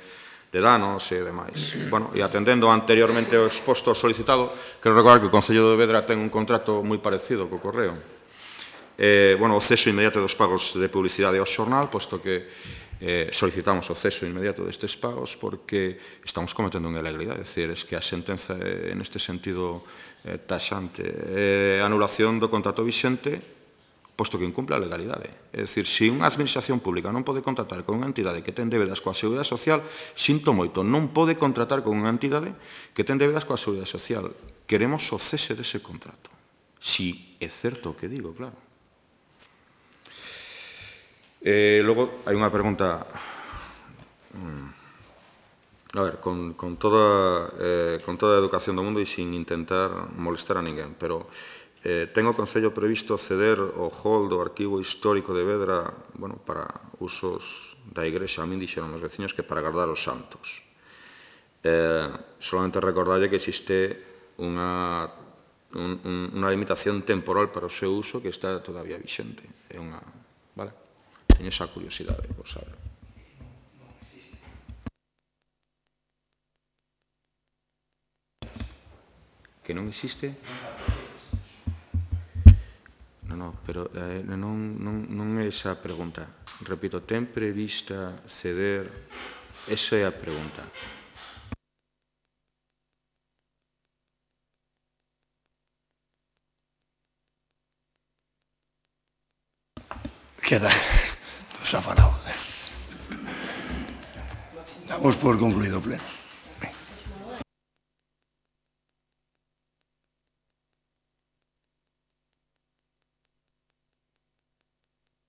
de danos e demais. Bueno, e atendendo anteriormente ao exposto ao solicitado, quero recordar que o Concello de Vedra ten un contrato moi parecido co Correo. Eh, bueno, o ceso inmediato dos pagos de publicidade ao xornal, posto que eh, solicitamos o ceso inmediato destes pagos porque estamos cometendo unha ilegalidade. É dicir, es que a sentenza é, neste sentido, eh, taxante. Eh, anulación do contrato vixente, posto que incumple a legalidade. É dicir, se unha administración pública non pode contratar con unha entidade que ten débedas coa Seguridade Social, sinto moito, non pode contratar con unha entidade que ten débedas coa Seguridade Social. Queremos o cese dese contrato. Si é certo o que digo, claro. Eh, logo, hai unha pregunta... A ver, con, con, toda, eh, con toda a educación do mundo e sin intentar molestar a ninguén, pero... Eh, ten o Concello previsto ceder o hall do arquivo histórico de Vedra, bueno, para usos da igrexa. A min dixeron os veciños que para guardar os santos. Eh, solamente recordarlle que existe unha, un, un, unha limitación temporal para o seu uso que está todavía vixente. É unha, vale? Teño esa curiosidade, por saber. Que non existe? Non, no, pero eh, non, non, non é esa a pregunta. Repito, ten prevista ceder? Esa é a pregunta. Queda, nos ha falado. Damos por concluído o pleno.